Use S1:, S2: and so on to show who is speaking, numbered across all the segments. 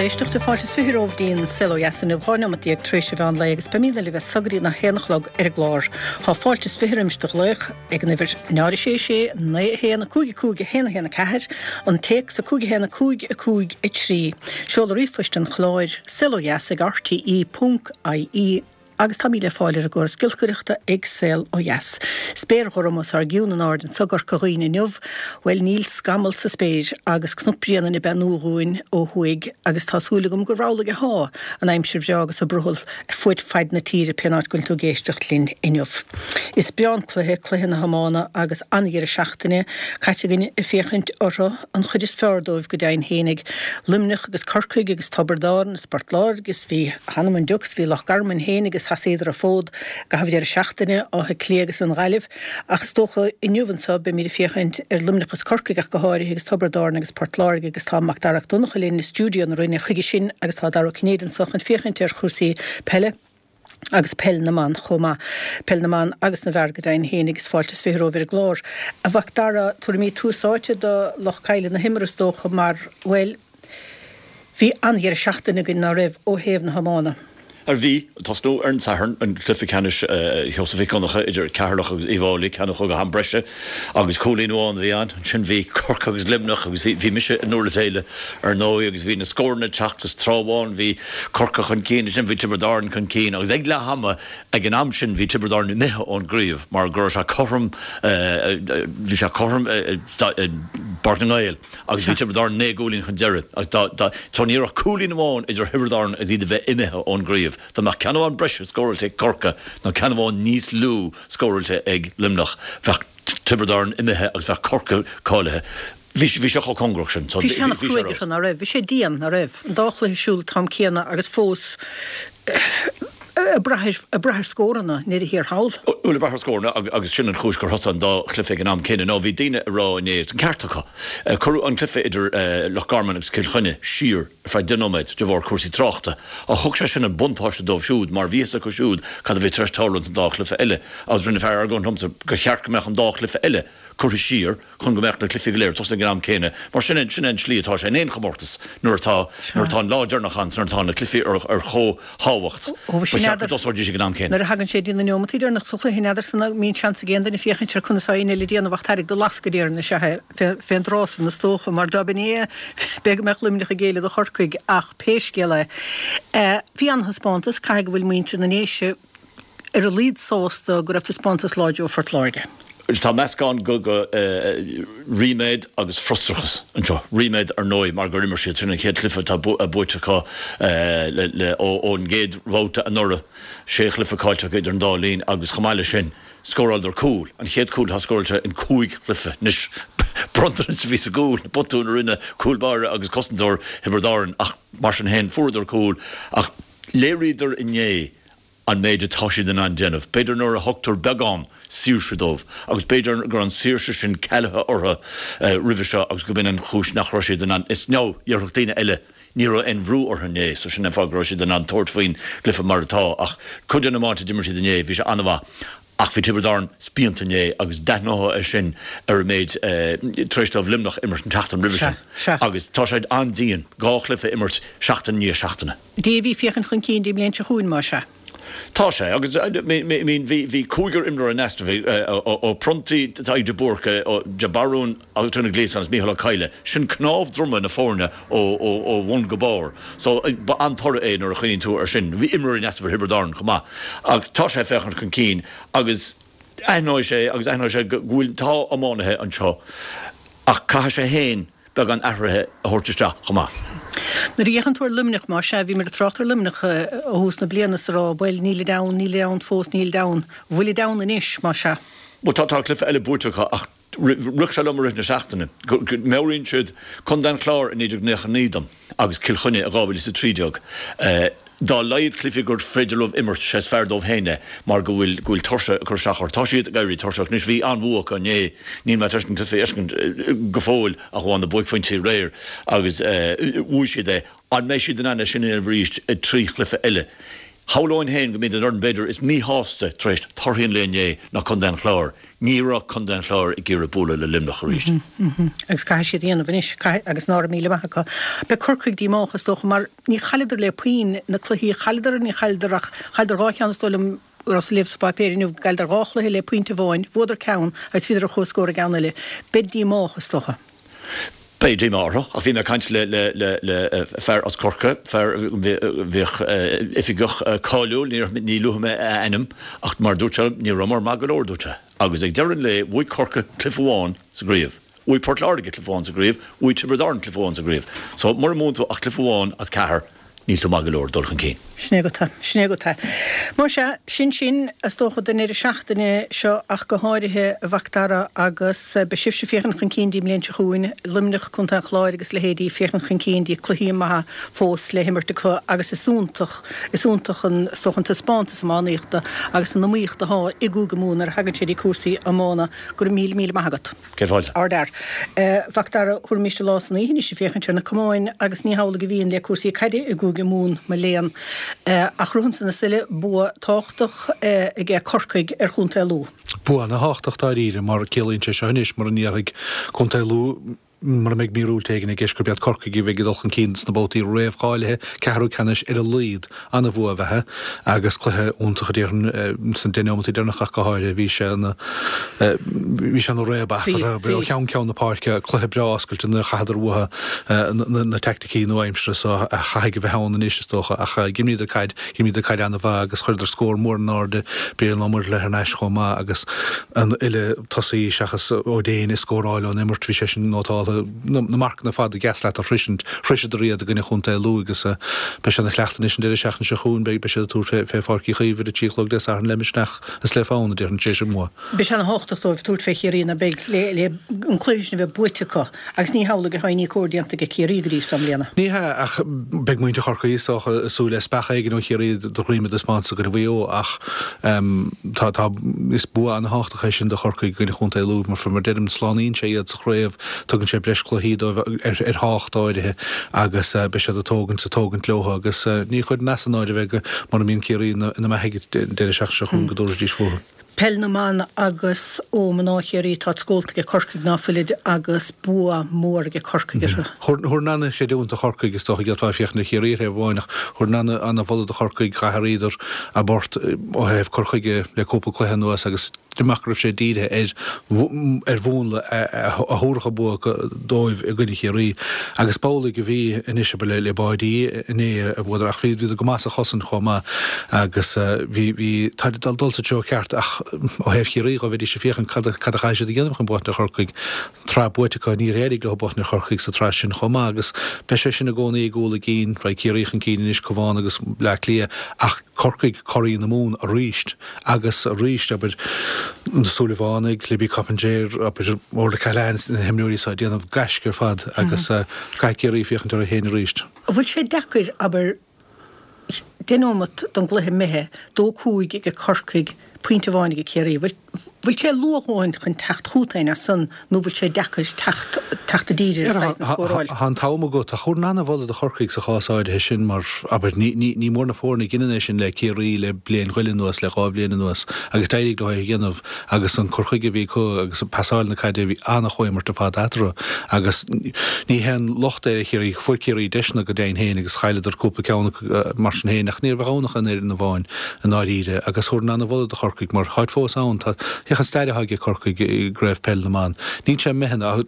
S1: Éisteachta, fáilte is 20 romhaibh dtí'n Saol Ó Dheas inniu, 12 neomat tar éis an mheán lae agus beimídne libh as so go dtí an 1 a chlog ar an gclár. Tá fáilte is 20 roimis do ghlaoch ag an uimhir 0 6 6 9 1 5 5 1 1 4, an téacs 5 1 5 5 3. Seoladh ríomhphoist an chláir, saolodheas ag rte ponc ie. Agus táimid le fáil ar an gcóras giolcaireachta ag Saol Ó Dheas. Spéir ghorm os ár gcionn in airde anso i gCorca Dhuibhne inniu. Bhuel, níl scamall sa spéir agus Cnoc Bréanainn ag beannú dhúinn ó thuaidh agus tá súil agam gur amhlaidh athá an aimsir bhreá agus an brothall ar fuaid faid na tíre pén áit go bhfuil tú ag éisteacht linn inniu. Is breá an cluiche, cluiche na hiomána agus an-dheireadh seachtaine caite againn ag féachaint orthu, an chuid is fearr dóibh go deimhin fhéinig. Luimneach agus Corcaigh agus Tiobraid Árann is Port Láirge is bhí, th'anam 'on deoch, is bhí Loch Garman fhéinig is sheasaíodar an fód i gcaitheamh deireadh seachtaine, Áth Cliath agus an Ghaillimh. Ach is dócha inniu anso beimid ag féachaint ar Luimneach is Corcaigh ach go háirithe agus Tiobraid Árann agus Port Láirge agus tá Macdara Mac Donncha linn i stiúideo na Rinne chuige sin agus tá Dara Ó Cinnéide anso chun féachaint ar chúrsaí peile. agus peil na mban chomh maith. Peil na mban agus na bhfear go deimhin fhéinig is fáilte is 20 romhaibh ar an gclár. A Mhacdara, tabharfaimid tús áite do lucht caidhle na himeartha is dócha mar, bhuel, bhí an-dheireadh seachtaine againn, ná raibh, ó thaobh na hiomána?
S2: Ar bhí, tosnú ar an Satharn, an cluiche ceannais Sheosaimh Mhic Dhonncha idir Ceatharlach agus Uíbh Fháilí, ceann a chuaigh go ham breise agus cúilín amháin a bhí ann. Ansin bhí Corcaigh agus Luimneach agus bhí mise i nDurlas Éile ar ndóigh agus bhí na scóranna ag teacht is tráth amháin bhí Corcaigh chun cinn, ansin bhí Tiobraid Árann chun cinn agus ag leath ama, ag an am sin bhí Tiobraid Árann imithe ón gcraobh mar go raibh sé cothrom, bhí sé cothrom i bPáirc na nGael agus bhí Tiobraid Árann 9 gcúilín chun deiridh agus dá, dá, so ní raibh ach cúilín amháin idir Thiobraid Árann agus iad a bheith imithe ón gcraobh. Dá mbeadh ceann amháin breise scóráilte ag Corcaigh nó ceann amháin níos lú scóráilte ag Luimneach, bheadh Tiobraid Árann imithe agus bheadh Corcaigh cáilithe. Bhí bhí sé chomh cóngarach sin.
S1: Bhí sé an-chruaidh orthu, ná raibh? Bhí sé dian, ná raibh? An dá chluiche ar siúl an t-am céanna agus fós ag brath ag brath ar scóranna i ndeireadh thiar thall.
S2: Bhuel, ag brath ar scóranna agus sin an chúis gur thosaigh an dá chluiche ag an am céanna ná bhí daoine ag rá inné, is an ceart acu, cuireadh an cluiche idir Loch Garman agus Cill Chainnigh siar ar feadh 10 nóiméad de bharr cúrsaí tráchta ach thug sé sin an buntáiste dóibh siúd mar bhí fhios acu siúd cad a bhí tar éis tarlú ins an dá chluiche eile agus rinne fear argóint liomsa gur cheart go mbeadh an dá chluiche eile curtha siar chun go mbeadh na cluichí go léir ag tosú ag an am céanna, mar sin é, sin é an tslí atá sé in aon chomórtas, nuair atá, nuair atá an lá deireanach ann, nuair atá na cluichí ar, ar chomhthábhacht,
S1: ba
S2: cheart go dtosóidís ag an am céanna.
S1: Nuair a thagann sé dtí na neomataí deireanach sa chluiche, n'fheadar san an mbíonn seans ag aon duine féachaint ar conas atá éinne eile ag déanamh ach tarraig do lascaire déarfainn is ea é, fén dtráth san is dócha, mar dá b'in é, b'fhéidir go mbeadh Luimneach ag géilleadh do Chorcaigh ach pé scéal é, bhí an-thaispeántas, caithfidh go bhfuil muintir na nDéise, ar a laghad sásta go raibh taispeántas láidir ó Phort Láirge.
S2: Tá meascán de ríméad agus frustrachas anseo. Ríméad ar ndóigh mar gur imir siad, sin an chéad chluiche atá buaite acu ón gcéad bhabhta anuraidh. Sé chluiche caillte acu idir an dá linn agus chomh maith leis sin scóráladar cúl, an chéad chúl atá scóráilte in cúig chluiche. Anois bronntanas a bhí sa gcúl, botún a rinne cúl báire agus cosantóir Thiobraid Árann ach mar sin féin fuaireadar cúl ach léiríodar inné an méid atá siad in ann déanamh. B'fhéidir nuair a thugtar beagán saoirse dóibh, agus b'fhéidir go raibh an saoirse sin cealaithe orthu roimhe seo agus go b'in an chúis nach raibh siad in ann, is now, déarfadh daoine eile, ní raibh aon bhrú orthu inné, so sin an fáth go raibh siad in ann tabhairt faoin gcluiche mar atá. Ach cuid den iomáint a d'imir siad inné, bhí sé an-mhaith. Ach bhí Tiobraid Árann spíonta inné agus d'aithneofá é sin ar an méid tar éis dóibh Luimneach a imirt an tseachtain roimhe sin. Agus tá sé an-dian dhá chluiche a imirt seachtain i ndiaidh seachtaine.
S1: Davy, féachaint chun cinn don mbliain seo chugainn, más ea.
S2: Tá sé, agus I mean bhí cúigear imreoir in easnamh, ó Prunty, Tadhg de Búrca, de Barún, agus Tony Gleeson agus Mícheál Ó Cadhla. Sin cnámh droma na foirne ó bhun go barr. So ba an-toradh é nuair a chuimhníonn tú air sin. Bhí imreoirí in easnamh ar Thiobraid Árann chomh maith. Ach tá sé ag féachaint chun cinn agus aithneoidh sé agus aithneoidh sé go bhfuil, tá iománaithe anseo ach caithfidh sé féin beagán athruithe a thabhairt isteach chomh maith.
S1: Nuair a fhéachann tú ar Luimneach, más ea, bhíomar ag trácht ar Luimneach ó thús na bliana is ag rá, bhuel, nílid ann, nílid ann fós, nílid ann. Bhfuilid ann anois, más ea?
S2: Bhuel, tá, tá cluiche eile buaite acu ach rith sé liom i rith na seachtaine go meabhraíonn siad Contae an Chláir i 1999 dom agus Cill Chainnigh i 2013. Dá laghad cluichí gur féidir leo imirt, sé is fearr dóibh féin é mar go bhfuil go bhfuil tuirse ag cur isteach orthu. Tá siad ag éirí tuirseach anois. Bhí an-bhua acu inné. Níl mé tar éis an cluiche a fheiscint go fóill ach amháin na buaicphointí aréir agus bhuaigh siad é. An mbeidh siad in ann é sin a dhéanamh arís i dtrí chluiche eile? Shamhlóinn féin go mb'iad an fhoireann b'fhéidir is míshásta tar éis torthaí an lae inné ná Contae an Chláir. Ní raibh Contae an Chláir ag iarraidh bualadh le Luimneach arís.
S1: Agus caithfidh siad a dhéanamh anois, caithfidh, agus ná raibh míle maith acu. Beidh Corcaigh díomách is dócha mar ní chailleadar le puinn na cluichí a chailleadar, ní chailleadar ach, chailleadar dhá cheann is dóigh liom, rabhas ag léamh sa pháipéar inniu go gcailleadar dhá chluiche le pointe amháin, bhuadar ceann agus bhíodar ar comhscór i gceann eile. Beid díomách is dócha.
S2: Beidh díomá orthu, ach bhí mé ag caint le le fear as Corcaigh, fear a bhíodh oifigeach cáiliúil, ní luafaidh mé a ainm, ach mar a dúirt sé liom, ní rabhamar maith go leor, a dúirt sé. Agus ag deireadh an lae, bhuaigh Corcaigh cluiche amháin sa gcraobh. Bhuaigh Port Láirge cluiche amháin sa gcraobh, bhuaigh Tiobraid Árann cluiche amháin sa gcraobh. So, mura mbuann tú ach cluiche amháin as ceathair, níl tú maith go leor dul chun cinn.
S1: Sin é agat é. Sin é agat é. Más ea, sin sin, is dócha, don deireadh seachtaine seo ach go háirithe, a Mhac Dara, agus beidh sibhse ag féachaint chun cinn dtí an mbliain seo chugainn, Luimneach, Contae an Chláir agus leithéidí, féachaint chun cinn dtí cluichí maithe fós le himirt acu agus is iontach, is iontach an, is dócha, an taispeántas iománaíochta agus an iomaíocht atá i gCúige Mumhan nuair a thagann sé dtí cúrsaí iomána. Go raibh míle, míle maith agat.
S2: Céad fáilte.
S1: Ardfhear. A Mhac Dara, thabharfaimis an lá is an oíche anois ag féachaint ar na camáin agus ní hamhlaidh a bhíonn le cúrsaí caide i gCúige Mumhan, mo léan. Ach ritheann san na súile, bua tábhachtach aige Corcaigh ar Chontae Lú.
S3: Bua ana-thábhachtach dáiríre mar ciallaíonn sé seo anois mura ndéarfaidh Contae Lú, mura mbeidh míorúilt éigin i gceist, gurb iad Corcaigh a bheidh ag dul chun cinn sna babhtaí réamhcháilithe, ceathrú ceannais ar a laghad. Ana-bhua ab ea é agus cluiche iontach a déarfainn sna 10 neomataí deireanacha ach go háirithe. Bhí sé ina bhí sé ina réabadh eatarthu ó cheann ceann na páirce, cluiche breá oscailte nuair a chaitheadar uathu na teaicticí nua-aimseartha so a chaithfidh a bheith ann anois is dócha ach d'imríodar caid, d'imríodar caid an-mhaith agus chuireadar scór mór in airde, Brian Ó Muirthile thar n-ais chomh maith agus an uile tosaí seachas Ó Déin ag scóráil ón imirt, bhí sé sin nótáltha. Na marcanna ar fad a dheas leat a shroisint, shroiseadar iad i gcoinne Chontae Lú agus beidh sé ina chleachtadh anois an deireadh seachtaine seo chugainn. Beidh siad ag tabhairt fé Pháirc Uí Chaoimh ar a 3 a chlog Dé Sathairn le misneach is le fonn, a déarfainn, tar éis an bhua.
S1: Beidh sé ana-thábhachtach dóibh tabhairt fé Chiarraí ná beidh le le an cluiche sin a bheith buaite acu agus ní hamhlaidh atá aon ní cóir déanta aige Ciarraí go dtí so i mbliana.
S3: Ní hea, ach beidh muintir Chorcaí is dócha ag súil le speachadh éigin ó Chiarraí de dhroim a dtaispeántas i gcoinne Mhaigh Eo ach tá tá is bua ana-thábhachtach é sin do Chorcaigh i gcoinne Chontae Lú mar mar deirim slánaíonn sé iad sa chraobh, tugann sé breis cluichí dóibh ar ar thábhacht áirithe agus beidh siad ag tógaint ag tógaint leo agus ní chuirfinn as an áireamh é go mura mbíonn Ciarraí ina ina mbeathaigh an deireadh seachtaine seo chugainn go dtabharfaidís fúthu.
S1: Peil na mBan agus ó mná Chiarraí tá scólta aige Corcaigh ná fuilid agus bua mór aige Corcaigh orthu.
S3: Thabharfainn an-chreidiúint do Chorcaigh is dócha d'fhéadfá féachaint ar Chiarraí ar thaobh amháin ach thabharfainn an-mholadh do Chorcaigh, d'athraíodar a bport ó thaobh cur chuige le cúpla cluiche anuas agus deirim go raibh sé dírithe ar ar mhúnla a thabharfadh an bua dóibh i gcoinne Chiarraí agus b'amhlaidh a bhí anois abair le báidí inné a bhuadar ach bhíodar go maith sa chosaint chomh maith agus bhí bhí tá ag dul sa treo ceart ach ó thaobh Chiarraí dhó bheidís ag féachaint cad cad a chaithfidh siad a dhéanamh chun buachaint ar Chorcaigh. Tsraith buaite acu níor éirigh leo buachaint ar Chorcaigh sa tsraith sin chomh maith agus beidh sé sin i gcónaí i gcúl a gcinn. Raghaidh Ciarraí chun cinn anois Cabhán agus Bleá Cliath ach Corcaigh curaidh na Mumhan arís. Agus arís, abair, na Súilleabhánaigh, Libby Coppinger, abair, Orla Callahan, na himreoirí seo ag déanamh gaisce ar fad agus caithfidh Ciarraí féachaint orthu féin arís.
S1: An bhfuil sé deacair, abair, 10 nóimeat don gcluiche imithe, 2-5 ag Corcaigh, pointe amháin ag Ciarraí. Bhfuil bhfuil sé luath a dhóthain chun teacht chugat féin as san nó bhfuil sé deacair teacht teacht i dtír ar saghas na scóráil?
S3: Tá an t-am agat. Ach thabharfainn an-mholadh do Chorcaigh sa chás áirithe sin mar, abair, ní ní ní mór na foirne a dheineann é sin le Ciarraí le bliain go leith anuas, le dhá bhliain anuas agus d'éirigh leo é a dhéanamh agus an cur chuige a bhí acu agus pasáil na caide bhí an-chomhimirt ar fad eatarthu agus ní haon locht é ar Chiarraí, fuair Ciarraí deiseanna go deimhin féin agus chailleadar cúpla ceann acu mar sin féin ach ní raibh ann ach an fhoireann amháin. i ndáiríre, agus thabharfainn an-mholadh do Chorcaigh mar táid fós ann. Tá, féach an stair atá aige Corcaigh i gCraobh Peil na mBan. Níl sé imithe, tá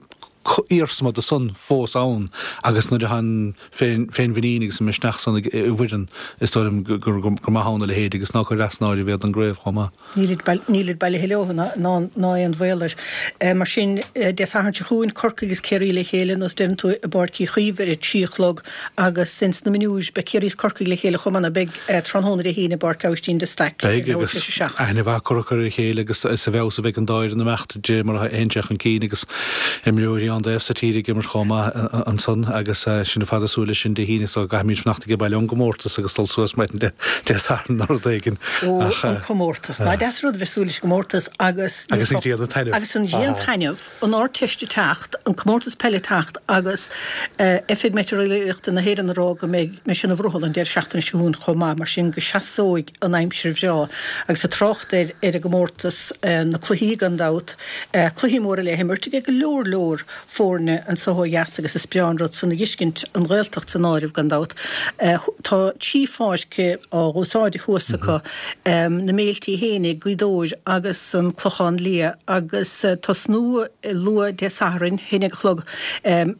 S3: iarsma de san fós ann agus nuair atá an féin, féinmhuinín agus an misneach san i bhfoireann, is dóigh liom gur, gur maith ann a leithéid agus ná cuir as an áireamh iad don gcraobh chomh maith.
S1: Nílid bailithe leo ná aon bhaol air. Mar sin, Dé Sathairn seo chugainn, Corcaigh agus Ciarraí le chéile, nós deireann tú, i bPáirc Uí Chaoimh ar a 3 a chlog agus ins na mionúir, beidh Ciarraí is Corcaigh le chéile chomh maith, ná beidh, tráthnóna Dé hAoine i bPáirc Aibhistín de Staic
S3: ar Beidh leathuair agus tar éis a 7. aithne mhaith curtha acu ar a chéile agus is i bhfeabhas a bheidh an dá fhoireann ag imeacht de réir mar a théann sé chun cinn agus imreoirí ann. aon taobh sa tír ag imirt chomh maith ansan agus sinn ar fad ag súil leis sin Dé hAoine so caithfimid fanacht age baile ón gcomórtas agus dul suas maidin Dé Sathairn nó rud éigin.
S1: Ó, an comórtas. Nach deas an rud a bheith ag súil leis an gcomórtas agus.
S3: Agus an ghrian ag taitneamh.
S1: Agus an ghrian ag taitneamh, an Ardteist ag teacht, an comórtas peile ag teacht agus Oifig Meitéareolaíochta na hÉireann ag rá go mbeidh sé ina bhrothall an deireadh seachtaine seo chugainn chomh maith, mar sin go seasóidh an aimsir bhreá. Agus ag trácht ar ar an gcomórtas, na cluichí gan dabht, Cluichí móra le himirt ag go leor leor foirne anso ó dheas agus is breá an rud san a dh'fheiscint, an Ghaeltacht san áireamh gan dabht. Tá trí pháirc á dh'úsáid thuas acu, na Méiltí fhéinig, Gaoth Dobhair agus an Clochán Liath agus tosnú luath Dé Sathairn, a haon déag a chlog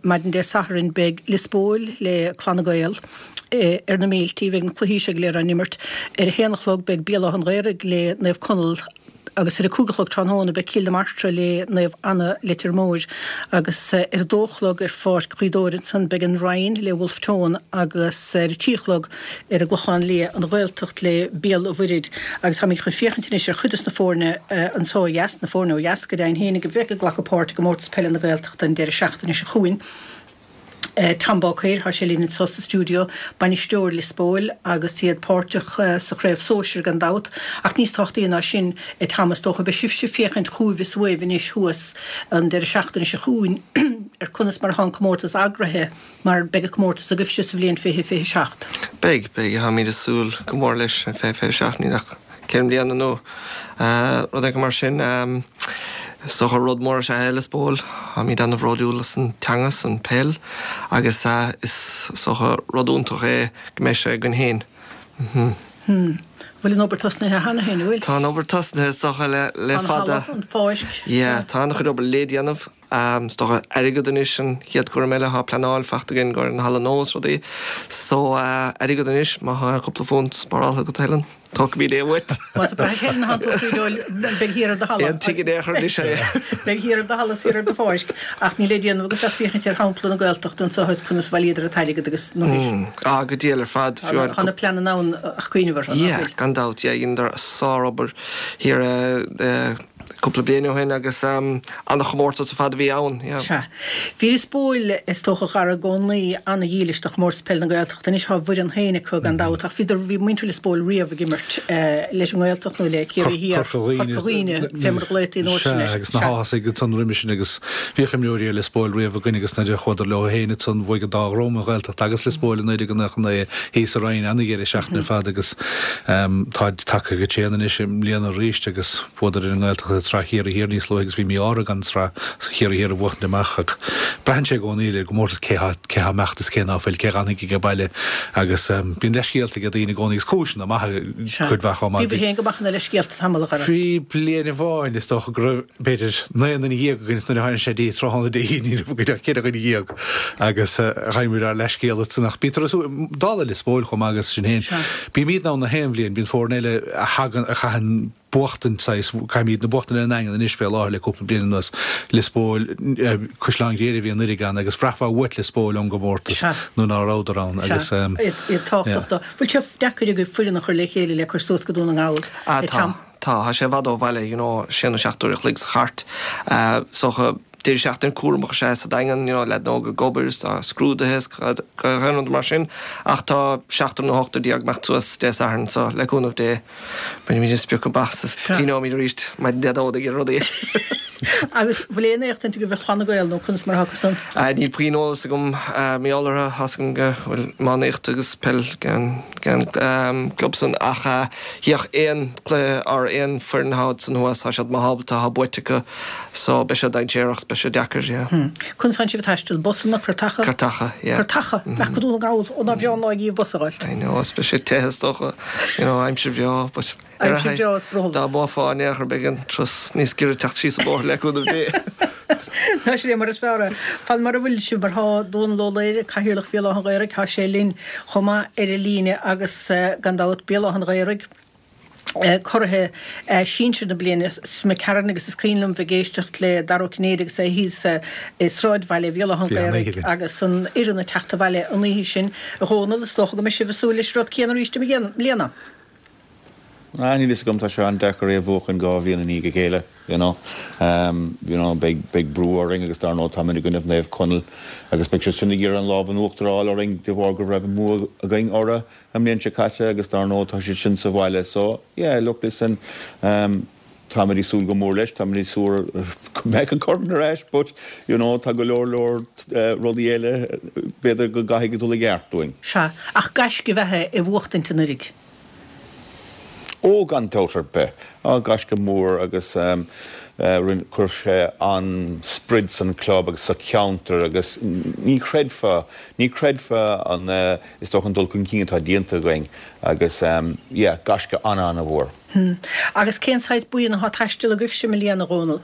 S1: maidin Dé Sathairn beidh Lios Póil le Clanna Gael ar na Méiltí, beidh na cluichí seo go léir á n-imirt. Ar a haon a chlog beidh Béal Átha an Ghaorthaidh le Naomh Conaill. Agus ar a 5 a chlog tráthnóna beidh Cill na Martra le Naomh Anna Leitir Móir agus ar a dó a chlog ar Pháirc Ghaoth Dobhair ansan beidh an Rinn le Wolfe Tone agus ar a trí a chlog ar an gClochán Liath an Ghaeltacht le Béal an Mhuirthid agus táimid chun féachaint anois ar chuid des na foirne anso ó dheas, na foirne ó dheas go deimhin fhéinig a bheidh ag glacadh páirt i gComórtas Peile na Gaeltachta an deireadh seachtaine seo chugainn. Tom Báicéir, tá sé linn anseo sa stiúideo, bainisteoir Lios Póil agus iad páirteach sa chraobh sóisir gan dabht. Ach níos tábhachtaí ná sin, a Tom, is dócha, beidh sibhse ag féachaint chugaibh is uaibh anois thuas an deireadh seachtaine seo chugainn ar conas mar atá an comórtas eagraithe mar beidh an comórtas agaibhse sa bhliain 2027.
S4: Beidh, beidh. Táimid ag súil go mór leis, 2027, níl ach 4 mbliana nó rud éigin mar sin. Is dócha rud mór is ea é Lios Póil. Táimid ana-bhródúil as an teanga, as an peil agus is dócha rud iontach é go mbeidh sé againn féin.
S1: An bhfuil an obair tosnaithe cheana féin, an bhfuil?
S4: Tá an obair tosnaithe is dócha le fada.
S1: Tá an halla, an pháirc.
S4: Yeah, tá an-chuid obair le déanamh. Is dócha airgead anois an chéad chúram eile, tá pleanáil faighte againn i gcomhair an halla nua is rudaí. So airgead anois, má tá cúpla punt spáráltha agat Helen, tógfaimid é uait.
S1: Más ag brath ar Helen atánn tú a Phríd, beidh thiar ar do halla.
S4: Aon tigh in aon chor anois é.
S1: Beidh thiar ar do halla is thiar ar do pháirc. Ach níl le déanamh agat ach féachaint ar shampla na Gaeltachta anseo is conas a bhailíodar an t-airgead agus na.
S4: Ah, go diail ar fad.
S1: Tá na pleananna ann ach cuimhneamh orthu, nach
S4: bhfuil? Yeah, gan dabht, yeah, dheineadar sár-obair thiar i. cúpla bliain ó shin agus an-chomórtas ar fad a bhí ann.
S1: Yeah. Sea. Bhí Lios Póil, is dócha, a Dhara, i gcónaí an-dhílis do Chomórtas Peile na Gaeltachta. Anois tá a bhfoireann féin acu gan dabht ach bhíodar, bhí muintir Lios Póil riamh ag imirt leis an nGaeltacht nó le Ciarraí Thiar,
S3: Corca
S1: Dhuibhne, fé mar a ghlaotaí an uair sin
S3: air. Sea, agus na hÁthasaigh ansan roimhe sin agus bhíodh imreoirí ar Lios Póil riamh againn agus nuair a chuadar leo féin ansan bhuaigh an dá dhream, an Ghaeltacht agus Lios Póil i 1999 thíos sa Rinn, an-dheireadh seachtaine ar fad agus táid tagtha go tréan anois i mbliana arís agus Bhuadar ar an nGaeltacht i tsraith Chiarraí Thiar níos luaithe agus bhí mí-ádh orthu gan sraith Chiarraí Thiar a bhuachaint amach ach braitheann sé i gcónaí ar an gcomórtas cé thá cé thá imeacht is cé ná fuil, cé dh'fhanfaidh age baile agus bíonn leithscéalta ag daoine i gcónaí agus cúiseanna maithe cuid mhaith chomh maith.
S1: Bhíobhair féin go maith ina leithscéalta tamall a
S3: Dhara. Bhí bliain amháin is dócha go raibh b'fhéidir 19 nduine againn is nuair a tháinig sé dtí tráthnóna Dé hAoine ní raibh againn ach 14 dhuine agus gheibh muid ár leithscéal ansan ach bítear ag súil, dála Lios Póil chomh maith agus sin féin. Bímidne ann na haon bhliain, bíonn foirne eile a thagann, a chaitheann buachtaint saghas, caithimid na buachtaint ar an nDaingean anois fé láthair le cúpla bliain anuas, Lios Póil, Caisleán Ghriaire a bhí anuraidh ann agus bhraithfeá uait Lios Póil ón gcomórtas nuair ná rabhadar ann agus
S1: Iad tábhachtach do. Bhfuil sé deacair agaibh foireann a chur le chéile le cur suas go Dún na nGall,
S4: a Tom? Tá, tá sé i bhfad ó bhaile, you know, sé nó seacht uair a chloig sa chairt. Is dócha deireadh seachtaine cúramach is ea é sa Daingean, you know, leaideanna óga ag obair is tá scrúduithe is gach aon rud mar sin. Ach tá seachtar nó ochtar ag imeacht suas Dé Sathairn so le cúnamh Dé bainfimid an sprioc amach is cuimhneoimid arís maidin Dé Domhnaigh ar rudaí.
S1: Agus bhfuil aon éachtaint agaibh ar Chlanna Gael nó conas mar atá acu san?
S4: Níl puinn eolas agam mar gheall orthu, tá's agam go bhfuil iománaíocht agus peil ag an gclub san ach Bhíodh aon chluiche or aon foireann thall san thuas, tá siad maith ábalta, tá buaite acu so beidh sé dainséarach 's beidh sé deacair, yeah.
S1: Conas tánn sibh ag taisteal? Busanna, cairteacha?
S4: Cairteacha, yeah.
S1: Cairteacha! Ach go Dún na nGall, ó ná breá an lá dhaoibh bus a dh'fháilt.
S4: I know, is beidh sé te is dócha, you know, aimsir bhreá but
S1: ar Aimsir bhreá is brothall.
S4: Dá mbuafá in aon chor beidh an turas níos giorra teacht síos an bóthar le cúnamh Dé.
S1: Tá sé mar is fearr é. Fan mar a bhfuil sibh mar thá Dónal Ó Laoire, Cathaoirleach Bhéal Átha an Ghaorthaidh, thá sé linn chomh maith ar an líne agus gan dabht Béal Átha an Ghaorthaidh, curaithe sinsir na bliana seo imigh tharainn agus is cuimhin liom bheith ag éisteacht le Dara Ó Cinnéide agus é thíos i sráidbhaile Bhéal Átha an Ghaorthaidh agus an fhoireann ag teacht abhaile an oíche sin. A Dhónaill, is dócha go mbeidh sibh ag súil leis an rud céanna arís i mbliana?
S5: Ah, níl fhios agam, tá sé an-deacair é a bhuachan 2 bhliain i ndiaidh a chéile, you know. You know, beidh, beidh brú orainn agus dar ndóigh táimid i gcoinnibh Naomh Conaill agus beidh siad sin ag iarraidh an lámh in uachtar a fháil orainn de bharr go raibh an bua againn orthu an mbliain seo caite agus dar ndóigh tá siad sin sa bhaile so, yeah, look, listen, táimid ag súil go mór leis, táimid ag súil go mbeidh an corn ar ais but, you know, tá go leor leor rudaí eile b'fhéidir go gcaithfidh dul i gceart dúinn.
S1: Sea, ach gaisce ab ea é a bhuachtaint anuraidh.
S5: Ó, gan dabht ar bith. Á, gaisce mór agus rinne, chuir sé an-sprid san club agus sa cheantar agus ní chreidfeá, ní chreidfeá an, is dócha an dul chun cinn atá déanta againn agus yeah, gaisce an-an-mhór.
S1: Agus cén saghas buíon atá ag taisteal agaibhse i mbliana, a Dhónaill?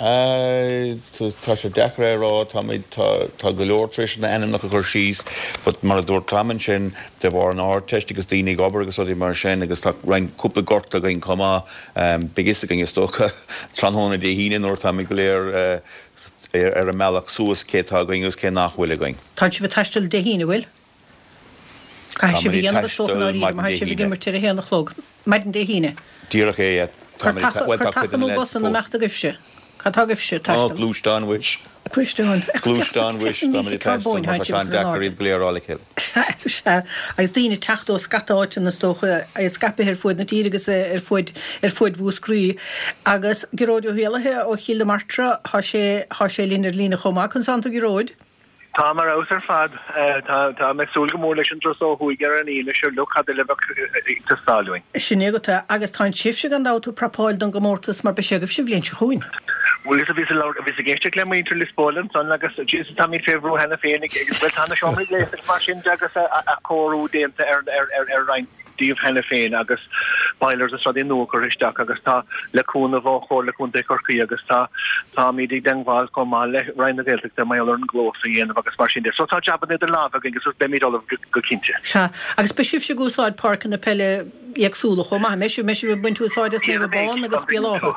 S5: Tá sé deacair é a rá, táimid, tá, tá go leor tar éis na n-ainmneacha a chur síos but mar a dúirt Tom ansin, de bharr an Ardteist agus daoine ag obair agus rudaí mar sin agus tá roinnt, cúpla gortú againn chomh maith, beidh fhios againn is dócha tráthnóna Dé hAoine nuair atáimid go léir ar an mbealach suas cé atá againn agus cé nach bhfuil againn.
S1: Tá sibh ag taisteal Dé hAoine, bhfuil? Caithfidh sibh a dhéanamh is dócha i ndáiríre má tá sibh ag imirt ar a haon a chlog maidin Dé hAoine.
S5: Díreach é, yeah.
S1: Cuir taca, bhuel, tá cuid de na leaids fós. Nó imeacht agaibhse. Cad tá agaibhse ag taisteal?
S5: Ó, gluaisteán, mhuis.
S1: Gluaisteán.
S5: Gluaisteán, mhuis. Táimid ag taisteal mar tá sé an-deacair iad go léir a fháil le chéile.
S1: Sea, agus daoine ag teacht ó scata áiteanna is dócha, iad scaipthe ar fuaid na tíre agus ar fuaid, ar fuaid Mhúscraí. Agus Gearóid Ó hÉallaithe ó Chill na Martra, tá sé, tá sé linn ar líne chomh maith. Conas tánn tú a Ghearóid?
S6: Táim ar fheabhas ar fad. Táim ag súil go mór leis an dturas ó thuaidh ar an Aoine sure look cad eile a bheadh ag teastáil uainn.
S1: Sin é agat é. Agus tá sibhse gan dabht ag prapáil don gcomórtas mar beidh sé agaibhse an bhliain seo chugainn.
S6: Bhuel is bhíos ag labhairt, bhíos ag éisteacht le muintir Lios Póil ansan agus Jesus táimid fé bhrú cheana féin ag, bhuel tá na seomraí gléasta agus mar sin de agus athchóiriú déanta ar, ar, ar, ar roinnt díobh cheana féin agus boilers is rudaí nua curtha isteach agus tá le cúnamh ó Chomhairle Contae Chorcaí agus tá táimid i dteangmháil chomh maith le Roinn na Gaeltachta mar gheall ar an gclós a dhéanamh agus mar sin de. So tá jabanna idir lámha againn agus beimid ullamh go cinnte.
S1: Sea, agus beidh sibhse ag úsáid páirceanna peile éagsúla chomh maith, an mbeidh sibh? An mbeidh sibh ag baint úsáid as Naomh Abán agus Béal Átha?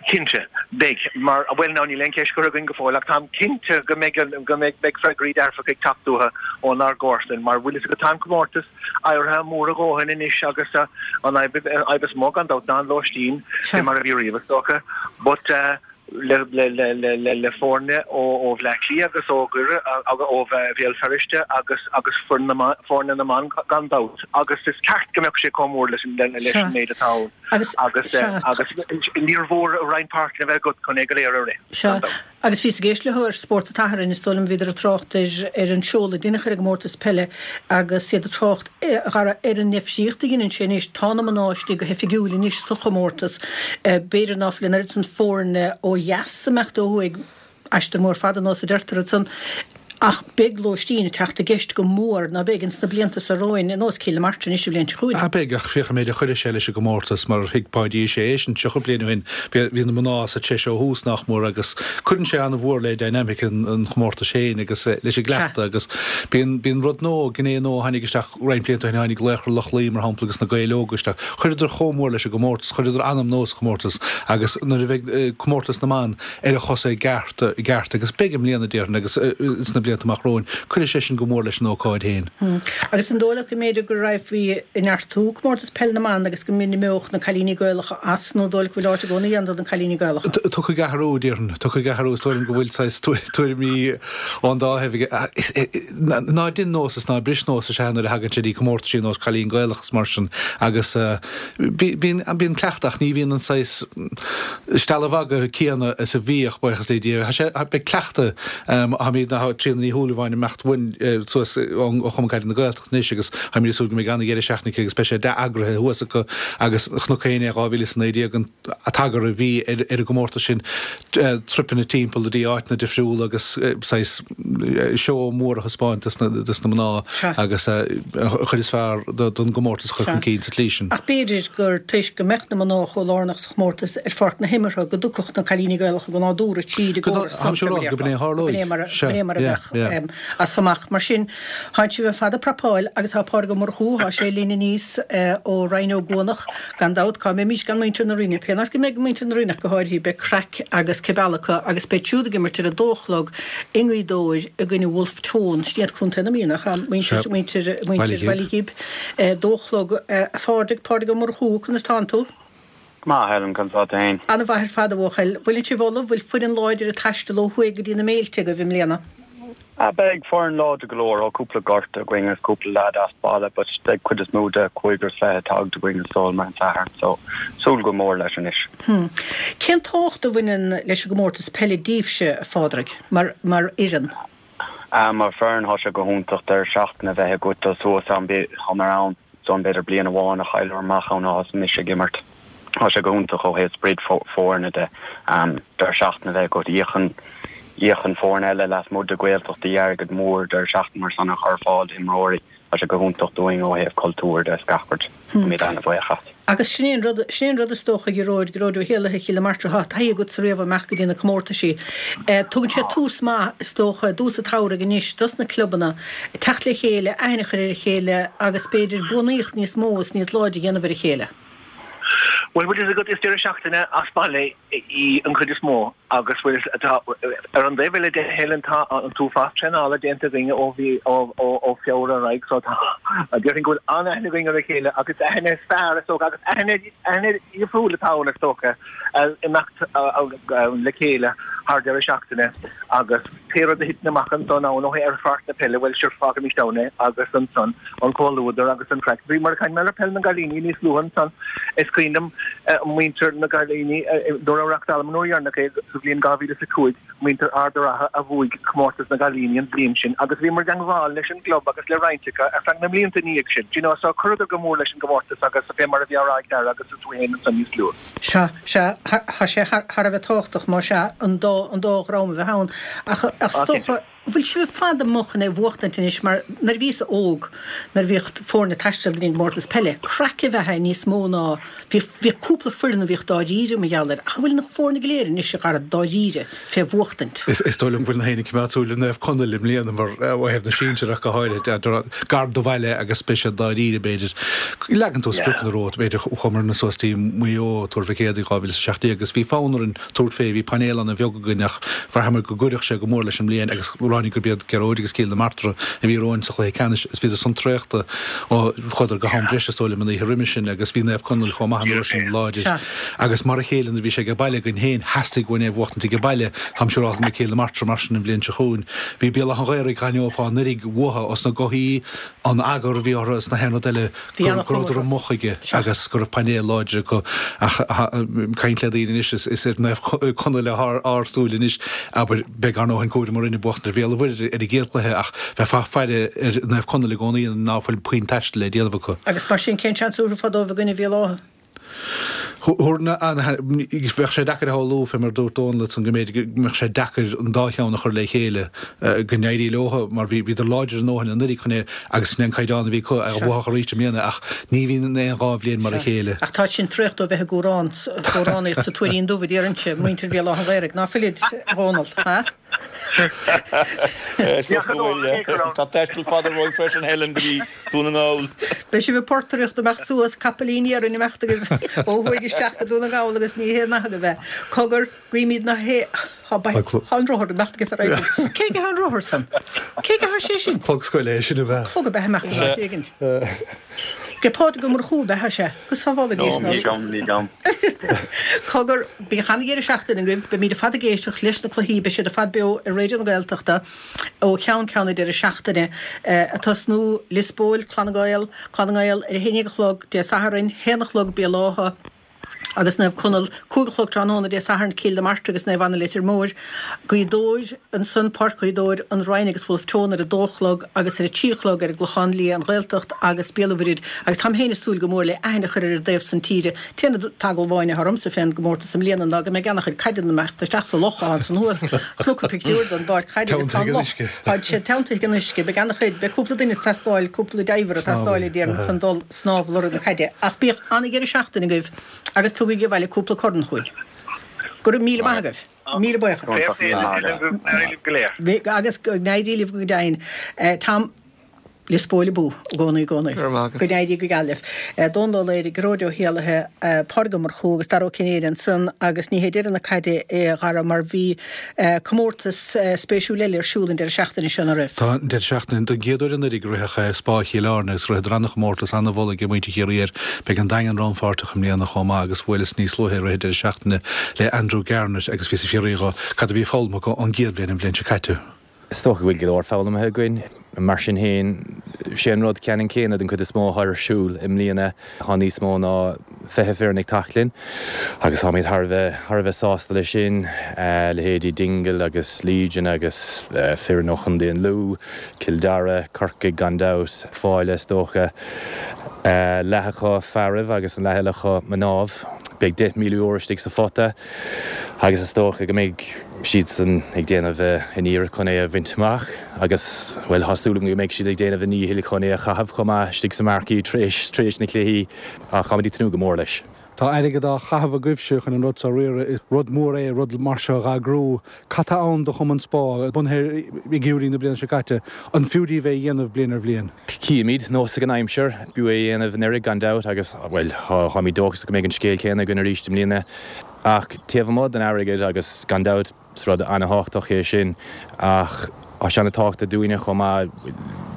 S6: Cinnte, beidh. Mar, bhuel now níl aon cheist curtha againn go fóill ach táim cinnte go mbeidh, go mbeidh, beidh freagraí dearfacha ag teacht uathu ónár gcomharsain mar bhfuil fhios agat tá an comórtas éirithe mór a dhóthain anois agus an fhadhb, an fhadhb is mó gan dabht ná an lóistín, fé mar a bhí riamh is dócha. But eh le, le, le, le, le, le foirne ó, ó Bhleá Cliath agus ó Dhoire, ó Bhéal Feirste agus, agus foireann na mban, foirne na mban gan dabht agus is ceart go mbeadh sé chomh mór leis an, leis an méid atá ann.
S1: Agus,
S6: Agus, agus níor mhór roinnt páirceanna a bheith agat chun é go léir a rith,
S1: Sea, gan dabht. agus bhíos ag éisteacht leo ar Spórt an tSathairn, is dóigh liom, bhíodar ag trácht ar, ar an seoladh a deineadh ar an gcomórtas peile agus iad ag trácht, a Dhara, ar an ndifríocht a dheineann sé anois. Tá na mná istigh go hoifigiúil anois sa chomórtas. B'fhéidir ná fuil an oiread san foirne ó dheas ag imeacht ó thuaidh, Aistear mór fada nós a deirtear ansan, ach beidh lóistín ag teacht i gceist go mór, ná beidh, ins na blianta so romhainn, ar nós Cill na Martra anois an bhliain seo chugainn.
S3: Ah beidh, ach féach an méid a chuirfidh sé leis an gcomórtas, mar thuig Páidí sé é sin 30 bliain ó shin, bhí na mná sa treis ó thús, nach mór, agus cuireann sé an-mhór le dynamic an chomórtais féin agus leis an gcleachtadh agus bíonn, bíonn rud nua, gné nua a tháinig isteach roinnt blianta ó shin, tháinig Laochra Loch Lao, mar shampla, agus na Gaeil Óga isteach. Chuireadar chomh mór leis an gcomórtas, chuireadar anam nua sa chomórtas agus nuair a bheidh comórtas na mban, ar a chosa i gceart, i gceart agus beidh i mbliana, déarfainn, agus sna blianta amach romhainn, cuirfidh sé sin go mór leis an ócáid féin.
S1: Agus an dóigh leat go mb'fhéidir go raghfaí ag neartú comórtas peile na mban agus go n-imeodh na cailíní Gaelacha as, nó an dóigh leat go bhfuil áit i gcónaí ann do na cailíní Gaelacha?
S3: Tiocfaidh athrú, déarfainn. Tiocfaidh athrú. Is dóigh liom go bhfuil saghas tuairimí ón dá thaobh aige. Ná dein nós is ná bris nós is ea nuair a thagann sé dtí comórtaisí ar nós Cailín Gaelach is mar sin agus bíonn, bíonn cleachtadh ach ní bhíonn an saghas stealladh magaidh céanna is a bhíodh, buíochas le Dia. Tá sé, beidh cleachtadh, táimid, tá Tríona Ní Shúilleabháin ag imeacht uainn suas ó Chumann Caide na Gaeltachta anois agus táimid ag súil go mbeidh an-dheireadh seachtaine aici agus beidh sé dea-eagraithe thuas acu agus chonac féin é 2019 an t-eagar a bhí ar an gcomórtas sin, tripeanna timpeall go dtí áiteanna difriúla agus saghas seó mór a thaispeáint dos na mná agus an chuid is fearr don gcomórtas a chur chun cinn sa tslí sin.
S1: Ach b'fhéidir gur toisc go mbeadh na mná chomh lárnach sa chomórtas ar pháirc na himeartha go dtiocfadh na cailíní Gaelacha go nádúrtha tríd an gcóras san,
S3: Gurb in é a tharlóidh.
S1: Gurb in é mar a bheadh. amach as amach. Mar sin, thánn sibh ar fad ag prapáil agus tá Pádraig Ó Murchú, thá sé linn aníos ó Rinn Ó gCuanach, gan dabht, cá mbeimis gan muintir na Rinne? Pén áit go mbeidh muintir na Rinne ach go háirithe, beidh craic agus cibeal acu agus beid siúd ag imirt ar a dó a chlog i nGaoth Dobhair i gcoinne Wolfe Tone, sin iad Contae na Mí, nach ea? Muintir, muintir, muintir Bhaile Ghib. Dó a chlog. A Phádraig, Pádraig Ó Murchú, conas tánn tú?
S7: Maith, Helen, conas tá tú fhéin?
S1: Ana-mhaith ar fad, a bhuachaill. Bhfuileann sibh ullamh? Bhfuil foireann láidir ag taisteal ó thuaidh go dtí na méilte agaibh i mbliana?
S7: Ah, beidh foireann láidir go leor. Tá cúpla gorta againn agus cúpla leaid as baile but beidh cuid is mó de cúigear is fiche tagtha againn is dóigh liom ar an Satharn so súil go mór leis anois.
S1: Hmm. Cén tábhacht a bhaineann leis an gcomórtas peile daoibhse, a Phádraig, mar, mar fhoireann?
S7: Ah, mar foireann thá sé go hiontach deireadh seachtaine a bheith agat dul suas ann, thá mé ann so b'fhéidir bliain amháin a chailleamar amach ann ó thosaigh mise ag imirt. Tá sé go hiontach ó thaobh sprid foirne de. Deireadh seachtaine a bheith agat. Íocann, íocann foirne eile lasmuigh de Ghaeltachtaí airgead mór deireadh seachtaine mar san a chur ar fáil d'imreoirí. Tá sé go hiontach dúinn ó thaobh cultúir de is gach rud. Táimid ana-bhuíoch as.
S1: Agus sin é an rud, sin é an rud is dócha, a Ghearóid, Gearóid Ó hÉallaithe, Chill na Martra, tá taithí agatsa riamh imeacht go dtí na comórtaisí. Tugann sé tús maith, is dócha, i dtús an tsamhraidh anois dos na clubanna teacht le chéile, aithne a chur ar a chéile agus b'fhéidir buanaíocht níos mó is níos láidre a dhéanamh ar a chéile.
S6: Bhuel, bhfuil fhios agat, is deireadh seachtaine as baile í an chuid is mó agus bhfuil fhios, tá, ar an dtaobh eile de, Helen, tá an t-uafás traenála déanta againn ó bhí, ó, ó, ó Feabhra ar aghaidh so tá, déarfainn go bhfuil an-aithne againn ar a chéile agus aithne is fearr is dócha agus aithne, aithne dhifriúil atá ann is dócha, imeacht le chéile thar deireadh seachtaine agus pé rud a thiteann amach ansan ann ó thaobh ar pháirc na peile, bhuel, sure, fágaimis ann é agus ansan an comhluadar agus an craic. Bhí mar a chaint mé ar peil na gcailíní níos luaithe ansan, is cuimhin liom muintir na gcailíní nuair a reachtálamar an uair dheireanach é sa bhliain 2005, muintir Ard a' Rátha a bhuaigh comórtas na gcailíní an bhliain sin agus bhíomar i dteangmháil leis an gclub agus le roinnt acu ar feadh na mblianta ina dhiaidh sin. Do you know, so chuireadar go mór leis an gcomórtas agus fé mar a bhí á rá ag Dara agus tú féin ansan níos luaithe.
S1: Sea, sea, tá sé thar a bheith tábhachtach, más ea, an dá, an dá dhream a bheith ann. Ach, ach is dócha, bhfuil sibh ar fad amuigh chun é a bhuachtaint anois mar nuair a bhíos óg, nuair a bhíodh foirne ag taisteal go dtí an gcomórtas peile, craic ab ea é níos mó ná, bhíodh, bhíodh cúpla foireann a bhíodh dáiríre mar gheall air, ach an bhfuil na foirne go léir anois, a Dhara, dáiríre fé bhuachtaint?
S3: Is dóigh liom go bhfuil gach éinne ag coimeád súil ar Naomh Conaill i mbliana mar, ó thaobh na sinsearach go háirithe, gar do bhaile agus beidh siad dáiríre b'fhéidir. Leagann tú spriocanna romhat, b'fhéidir chuamarna suas dtí Maigh Eo, Tuar Mhic Éadaigh 2017 agus bhí fonn orainn tabhairt fé, bhí painéal ana-bheag againn ach bhraitheamar go gcuirfeadh sé go mór leis an mbliain agus ráinig gurb iad Gearóid agus Cill na Martra a bhí romhainn sa chluiche ceannais is bhíodar san traochta ó chuadar go ham breise is dóigh liom an oíche roimhe sin agus bhí Naomh Conaill chomh maith an uair sin láidir agus mar a chéile nuair a bhí sé age baile againn féin theastaigh uainn é a bhuachtaint age baile. Táim siúrálta go mbeidh Cill na Martra mar sin an bhliain seo chugainn. Bhí Béal Átha an Ghaorthaidh d'aithneofá anuraidh uathu os na gothaí an eagar a bhí orthu is na haon rud eile go rabhadar amuigh chuige agus go raibh painéal láidir acu ach caint le daoine anois is ar Naomh Conaill atá ár súil anois abair beidh ár ndóthain cúraim orainn ag buachtaint ar Bhéal an Mhuirthead ar an gcéad chluiche ach bheifeá ag faire ar Naomh Conaill i gcónaí ná fuil puinn taistil le déanamh acu.
S1: Agus mar sin cén seans a thabharfá dóibh i gcoinne Bhéal Átha?
S3: Bheadh sé deacair a shamhlú, fé mar a dúirt Dónal ansan, go mb'fhéidir go mbeadh sé deacair an dá cheann a chur le chéile, go n-éirí leo, mar bhíodar láidir a ndóthain anuraidh chun é, agus sin é an caighdeán a bhí acu, a bhuafadh arís i mbliana, ach ní bhíonn aon dhá bhliain mar a chéile.
S1: Ach tá sin traochta ó bheith ag gcomhrán, comhránaíocht sa Tuairín Dubh, a déarfainnse, muintir Bhéal Átha an Ghaorthaidh, ná fuilid, a Dhónaill, ha?
S5: Is dócha go bhfuil. Tá taisteal fada romhainn freisin, Helen, go dtí Dún na nGall.
S1: Beidh sibh ag portaireacht imeacht suas, capaillín iarainn imeacht agaibh ó thuaidh isteach go Dún na nGall agus ní haon nath agaibh é. Cogar, guímid na hé, tá an rothar imeacht agaibh ar aghaidh. Cé aige an rothar san? Cé aige thá sé sin?
S3: Clog scoile é sin ab ea?
S1: Clog ab ea imeacht in áit éigint. Ag Pádraig Ó Murchú ab ea sé. Go sábhála Dia
S7: sinn. Ní agam, ní agam.
S1: Cogar, bíodh ana-dheireadh seachtaine agaibh. Beimid ar fad ag éisteacht leis na cluichí, beidh siad ar fad beo ar Raidió na Gaeltachta ó cheann ceann an deireadh seachtaine. Ag tosnú, Lios Póil, Clanna Gael, Clanna nGael ar a haon dhéag a chlog Dé Sathairn, haon a chlog Béal Átha, agus Naomh Conaill, 5 a chlog tráthnóna Dé Sathairn, Cill na Martra agus Naomh Anna Leitir Móir, Gaoth Dobhair, ansan, Páirc Ghaoth Dobhair, An Rinn agus Bhulf Tón ar a dó a chlog agus ar a trí a chlog ar an gClochán Liath, An Ghaeltacht agus Béal an Mhuirthead agus táim féin ag súil go mór le aithne a chur ar an dtaobh san tíre. T-aon eagla amháin atá ormsa fén gcomórtas i mbliana ná go mbeidh ana-chuid caideanna imeacht isteach sa loch atá ansan thuas. Chonac pictiúr den bpáirc chaide agus tá an loch, tá sé teanntaithe ag an uisce. Beidh ana-chuid, beidh cúpla duine ag teastáil, cúpla diver ag teastáil a déarfainn chun dul snámh lorg na caide. Ach bíodh ana-dheireadh seachtaine agaibh agus tugaigí abhaile cúpla corn chugainn. Go raibh míle maith agaibh. Míle buíochas.
S6: Fair play go n-éirí libh go léir.
S1: Agus go n-éirí libh go deimhin. Tom, Lios Póil abú i gcónaí i gcónaí.
S4: Go raibh maith agat.
S1: Go n-éirí go geal libh. Dónal Ó Laoire, Gearóid Ó hÉallaithe, Pádraig Ó Murchú agus Dara Ó Cinnéide ansan agus ní hé deireadh na caide é a Dhara mar bhí comórtas spéisiúil eile ar siúl an deireadh seachtaine seo, nach raibh?
S3: Tá, an deireadh seachtaine. Don gcéad uair anuraidh ritheadh Spá Chill Airne agus ritheadar an-chomórtas, an-mholadh ag muintir Chiarraí air. Beidh an Daingean rannpháirteach i mbliana chomh maith agus bhuaileas níos luaithe i rith an deireadh seachtaine le Andrew Garnett agus bhíos ag fiafraí dho cad a bhí foghlamtha acu ón gcéad bhliain an bhliain seo caite.
S8: Is dócha go bhfuil go leor foghlamtha againn. Mar sin féin, sé an rud ceannann céanna den chuid is mó atá ar siúl i mbliana. Tá níos mó ná 20 foireann ag teacht linn agus táimid thar a bheith thar a bheith sásta leis sin. Leithéidí Dingle agus Legion agus foireann ó Chontae an Lú, Cill Dara, Corcaigh gan dabht, Fáile is dócha. Leath acu fearaibh agus an leath eile acu mnáibh. Beidh €10,000 istigh sa phota agus is dócha go mbeidh siadsan ag déanamh a n-iarracht chun é a bhaint amach agus, bhuel, tá súil agam go mbeidh siad ag déanamh a ndíchill chun é a chaitheamh chomh maith istigh sa marquee tar éis, tar éis na cluichí ach táimid ag tnúth go mór leis.
S3: Tá airgead á chaitheamh agaibhse chun an rud seo a riaradh. Is rud mór é rud mar seo a dh'eagrú. Cad tá ann do Chumann Spá, bunaithe i ngeimhreadh na bliana seo caite? An fiú daoibh é a dhéanamh bliain ar bhliain?
S8: Cífimid, nós ag an aimsir, b'fhiú é a dhéanamh anuraidh gan dabht agus, bhuel, táimid dóchasach go mbeidh an scéal céanna againn arís i mbliana. Ach taobh amuigh den airgead, agus gan dabht is rud an-thábhachtach é sin, ach tá sé an-tábhachtach dúinne chomh maith,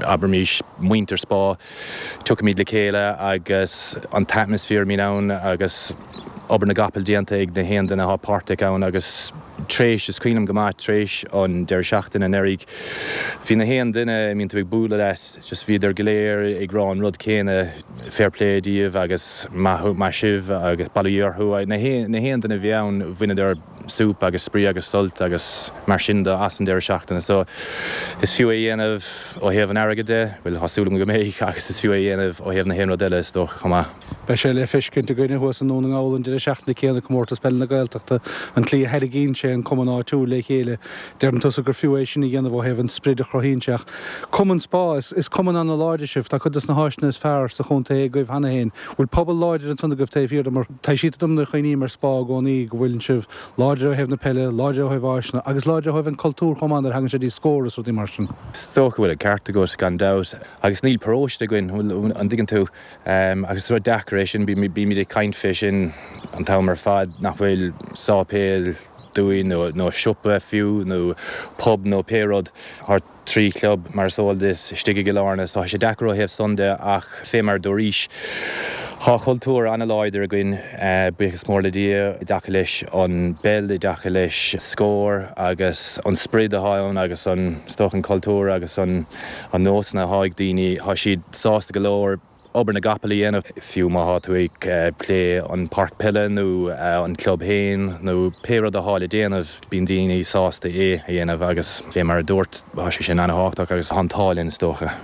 S8: abraimis muintir Spá, tiocfaimid le chéile agus an t-atmaisféar a mbíonn ann agus obair na gcapall déanta ag na haon duine atá páirteach ann agus tréis, is cuimhin liom go maith, tréis an deireadh seachtaine anuraidh, bhí na haon duine a mbíonn tú ag bualadh leat, just bhíodar go léir ag rá an rud céanna, fair play daoibh agus maith, maith sibh agus bail ó Dhia orthu. Na haon duine a bhí ann, bhaineadar súp agus spraoi agus sult agus mar sin de as an deireadh seachtaine. So is fiú é a dhéanamh ó thaobh an airgid de, bhuel tá súil agam go mbeidh, agus is fiú é a dhéanamh ó thaobh na haon rud eile is dócha chomh maith.
S3: Beidh sé le feiscint againne thuas i nDún na nGall an deireadh seachtaine céanna, Comórtas Peile na Gaeltachta, an tslí a tharraingíonn sé an cumann áitiúil le chéile. Deireann tusa gur fiú é sin a dhéanamh ó thaobh an sprid a chruthaíonn sé ach Cumann Spá, is cumann ana-láidir sibh, tá cuid dos na háiseanna is fearr sa chontae agaibh cheana féin. Bhfuil pobal láidir ansan agaibh taobh thiar de mar taibhsítear dom nuair a chuimhním ar Spá i gcónaí go bhfuileann sibh láidir ó thaobh na peile, láidir ó thaobh áiseanna agus láidir ó thaobh an cultúr chomh maith nuair a thagann sé dtí Scór is rudaí mar sin.
S8: Is dócha go bhfuil an ceart agat gan dabht agus níl paróiste againn, an dtuigeann tú? Agus is rud deacair é sin, bímid ag caint fé sin an t-am ar fad nach bhfuil sáipéal dúinn nó siopa fiú nó pub nó pé rud. Tá 3 chlub, mar is eol duit, istigh i gCill Airne so tá sé deacair ó thaobh san de ach fé mar a dúraís, tá cultúr an-láidir againn, buíochas mór le Dia, i dtaca leis an bpeil, i dtaca leis Scór agus an sprid atá ann agus an, is dócha an cultúr agus an nósanna atá ag daoine, tá siad sásta go leor. obair na gcapall a dhéanamh, fiú má thá tú ag plé an páirc peile nó an club féin nó pé rud athá le déanamh, bíonn daoine sásta é a dhéanamh agus fé mar a dúirt, tá sé sin ana-thábhachtach agus tá an t-ádh linn is dócha.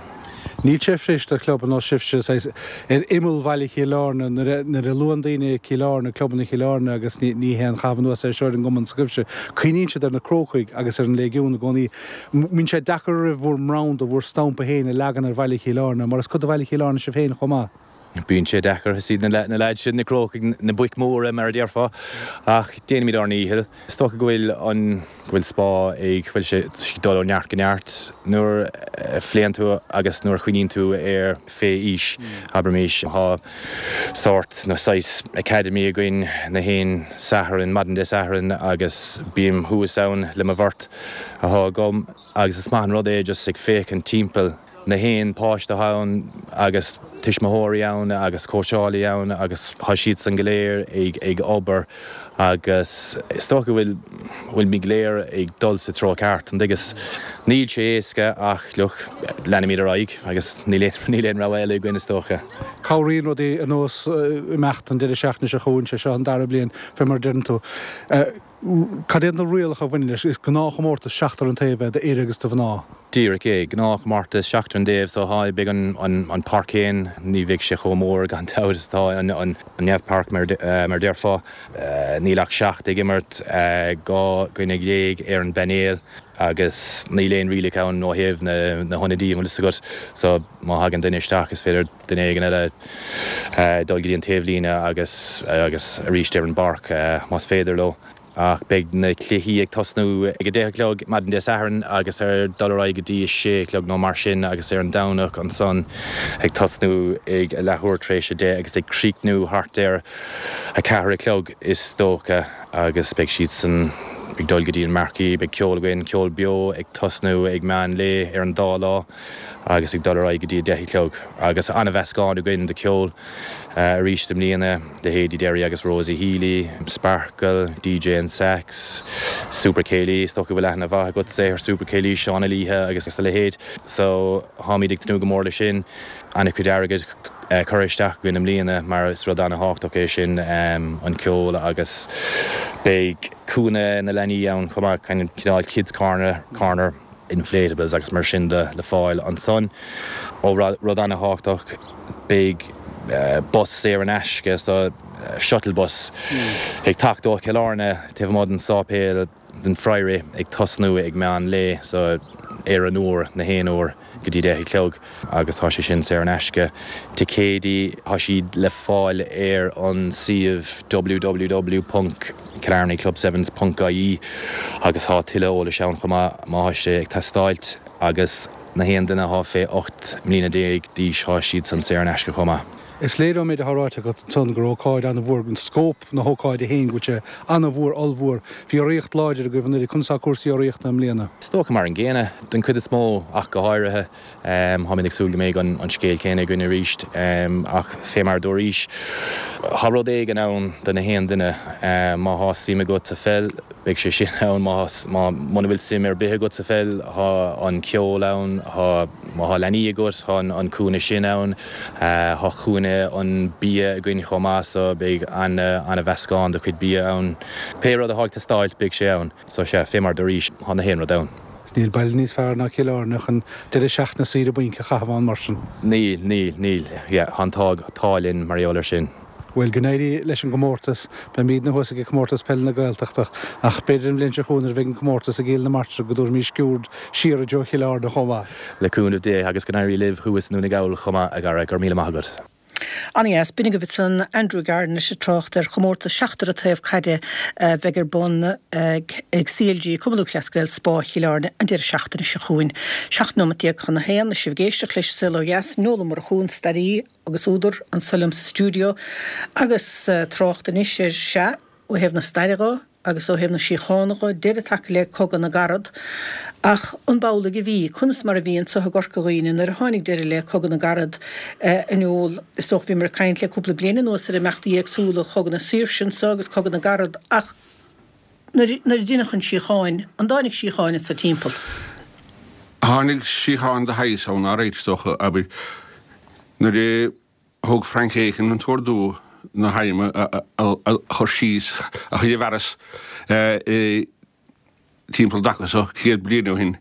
S3: Níl sé fuirist do chlub ar nós sibhse, saghas, ar imeall bhaile Chill Airne, nuair a luann daoine Cill Airne, clubanna Chill Airne agus ní haon chaitheamh anuas é seo ar an gcumann s'agaibhse, cuimhníonn siad ar na Crócaigh agus ar an Léigiún i gcónaí. Mbíonn sé deacair oraibh bhur mbranda, bhur stampa féin a leagan ar bhaile Chill Airne, mar is cuid de bhaile Chill Airne sibh féin chomh maith.
S8: Bíonn sé deacair. Is iad na leaids sin, na Crócaigh, na boic mhóra, mar a déarfá. Ach déanaimid ár ndícheall. Is dócha go bhfuil an, go bhfuil Spá ag, bhuel, sé ag dul ó neart go neart nuair a phléann tú agus nuair a chuimhníonn tú ar fé aois, abraimis. Tá sórt nó saghas academy againn na haon Satharn, maidin Dé Sathairn agus bím thuas ann le mo bheirt. atá agam agus is maith an rud é just ag féachaint timpeall na haon páiste atá ann agus tuismitheoirí ann agus cóitseálaí ann agus tá siadsan go léir ag ag obair agus is dócha go bhfuil bhfuilimid go léir ag dul sa treo ceart, an dtuigeas? Níl sé éasca ach look, leanfaimid ar aghaidh agus níl aon níl aon rogha eile againn is dócha.
S3: Cabhraíonn rudaí ar nós imeacht an deireadh seachtaine seo chugainn, sé seo an dara bliain fé mar a deireann tú. Cad iad na rialacha a bhaineann leis? Is gnáthchomórtas seachtar an taobh é d'fhir agus do mhná.
S8: Díreach é. Gnáthchomórtas seachtar an taobh so tá, beidh an páirc féin, ní bheidh sé chomh mór gan dabht is atá an neamhpháirc mar a déarfá. Níl ach seacht ag imirt, 12 dhuine ar an bpainéal agus níl aon rialacha ann ó thaobh na hionadaí, an bhfuil fhios agat. So má thagann duine isteach is féidir duine éigin eile dul go dtí an taobhlíne agus agus arís ar an bpáirc más féidir leo. Ach beidh na cluichí ag tosnú ag 10 a chlog maidin Dé Sathairn agus ar dul ar aghaidh go dtí 6 a chlog nó mar sin agus ar an Domhnach ansan ag tosnú ag a leathuair tar éis 10 agus ag críochnú thart ar 4 a chlog is dócha agus beidh siadsan ag dul go dtí an Marquee. Beidh ceol againn, ceol beo ag tosnú ag meán lae ar an dá lá agus ag dul ar aghaidh go dtí 10 a chlog agus an-mheascán againn de cheol. Arís i mbliana, leithéidí Derry agus Rosie Healy, Sparkle, DJ and Sax, Super Céilí, is dócha go bhfuil aithne mhaith agatsa ar Super Céilí, Seán Ó Laoithe agus a leithéid. So, táimid ag tnúth go mór leis sin. An-chuid airgid curtha isteach againn i mbliana mar is rud an-thábhachtach é sin, an ceol agus beidh cúinne na leanaí ann chomh maith, cineál kids corner, corner. inflatables agus mar sin de le fáil ansan. Ó rud ana-thábhachtach, beidh bus saor in aisce, so shuttle bus, ag teacht ó Chill Airne taobh amuigh den sáipéal den Friary ag tosnú ag meán lae, so ar an uair, na haon uair go dtí deich a chlog agus tá sé sin saor in aisce. Ticéidí, tá siad le fáil ar an suíomh www. killarneyclubsevens ponc ie agus tá tuilleadh eolais ann chomh maith má thá sé ag teastáilt agus na haon duine athá fé 18 mbliana d'aois thá siad san saor in aisce chomh maith.
S3: Is léir ón méid atá ráite agat ansan gur ócáid an-mhór, an scóip na hócáide féin, go bhfuil sé an-mhór, ollmhór. Bhí urraíocht láidir agaibh anuraidh. Conas tá cúrsaí urraíochta i mbliana?
S8: Is dócha mar an gcéanna, den chuid is mó ach go háirithe. Táimid ag súil go mbeidh an scéal céanna againn arís ach fé mar a dúraís, tá rud éigin ann do na haon duine. Má thá suim agat sa pheil, beidh sé sin ann. Má, muna bhfuil suim ar bith agat sa pheil, thá an ceol ann, thá, má thá leanaí agat, thá an cúinne sin ann. Thá cúinne an bia againn chomh maith so beidh ana-mheascán de chuid bia ann. Pé rud athá ag teastáilt, beidh sé ann. So sea, fé mar dúraís, thá na haon rud ann.
S3: Níl baile níos fearr ná Cill Airne chun deireadh seachtaine saoire bainc a chaitheamh ann mar sin.
S8: Níl, níl, níl. Yeah, thá an t-ádh linn mar gheall air sin.
S3: Bhuel, go n-éirí leis an gcomórtas. Beimídne thuas ag Comórtas Peile na Gaeltachta, ach b'fhéidir an bhliain seo chugainn nuair a bheidh an comórtas i gCill na Martra go dtabharfaimís sciúrd siar i dtreo Chill Airne chomh maith.
S8: Le cúnamh Dé, agus go n-éirí libh thuas i nDún na nGall chomh maith, a Dhara. Go raibh míle maith agat.
S1: Ana-dheas. B'in agaibh ansan Andrew Garnett ag trácht ar chomórtas seachtar an taobh caide a bheidh ar bun ag CLG, Cumann Lúthchleas Gael, Spá Chill Airne an deireadh seachtaine seo chugainn. 17 nóimeat chun a haon, is sibh ag éisteacht leis An Saol Ó Dheas, Noel Ó Murchú, an staraí agus údar, anso liom sa stiúideo agus trácht anois ar, sea, ó thaobh na staire dho agus ó thaobh na síochána dho, deireadh tagtha le Cogadh na gCarad. Ach an b'amhlaidh a bhí? Conas mar a bhí anso i gCorca Dhuibhne nuair a tháinig deireadh le Cogadh na gCarad? A Noel, is dócha, bhíomar ag caint le cúpla bliain anuas ar imeachtaí éagsúla Chogadh na Saoirse anso agus Cogadh na gCarad ach nuair a deineadh an síocháin, an dtáinig síocháin anso timpeall?
S9: Tháinig síocháin de shaghas ann, alright, is dócha, abair, nuair a. Thug Frank Aiken an t-ordú na hairm a chur síos, a chur i bhfearas timpeall an dtaca so 100 bliain ó shin.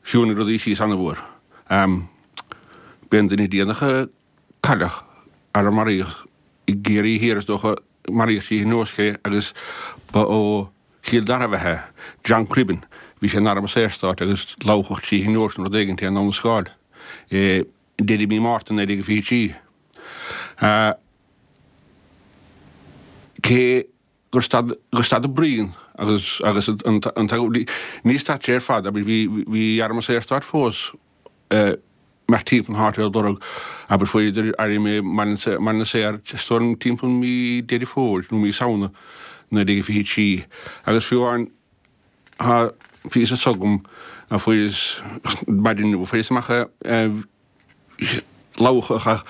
S9: Chiúnaigh rudaí síos an-mhór. B'é an duine déanach a cailleadh, ar a maraíodh i gCiarraí Thiar is dócha, maraíodh trí thine é agus ba ó Chill Dara ab ea é, John Cribbin. Bhí sé in Arm an Saorstáit agus lamhachadh trí thine nó rud éigin é i nDamh na Scáil. Deireadh mí Márta 1923. Cé gur stad gur stad an bruíon agus agus an an ní stad sé ar fad abair bhí bhí Arm an Saorstáit fós imeacht timpeall na háite ag lorg abair fuaireadar airm i mBaile na Saor is dóigh liom timpeall mí Deireadh Fómhair nó mí Samhna 1923 agus fiú amháin Tá píosa s'agam a fuaireas maidin inniu, fuaireas amach lamhachadh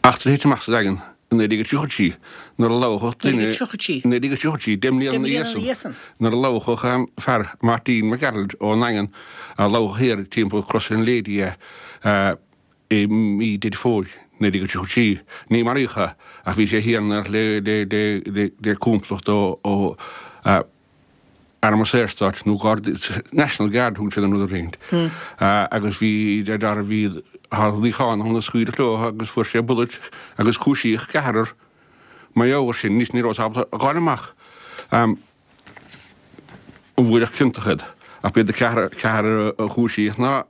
S9: eachtra a thit amach sa Daingean i 1933 nuair a lamhachadh duine, 1933? 1933, deich mbliana ina dhiaidh san, nuair a lamhachadh fear, Martin McGarrald ón nDaingean, a lamhachadh thiar timpeall Crois an Lady é i mí Deireadh Fómhair 1933. Ní maraíodh é ach bhí sé thiar le complacht ó Arm an Saorstáit nó Garda, National Guard a thug siad an rud ar agus bhí de dearbh bhí thá luíochán ann a scaoileadh leo agus fuair sé bullet agus cúisíodh ceathrar mar gheall air sin. Anois ní rabhas ábalta a dh'fháil amach an bhfuaireadh ciontach iad ach b'iad an ceathrar a chúisíodh ná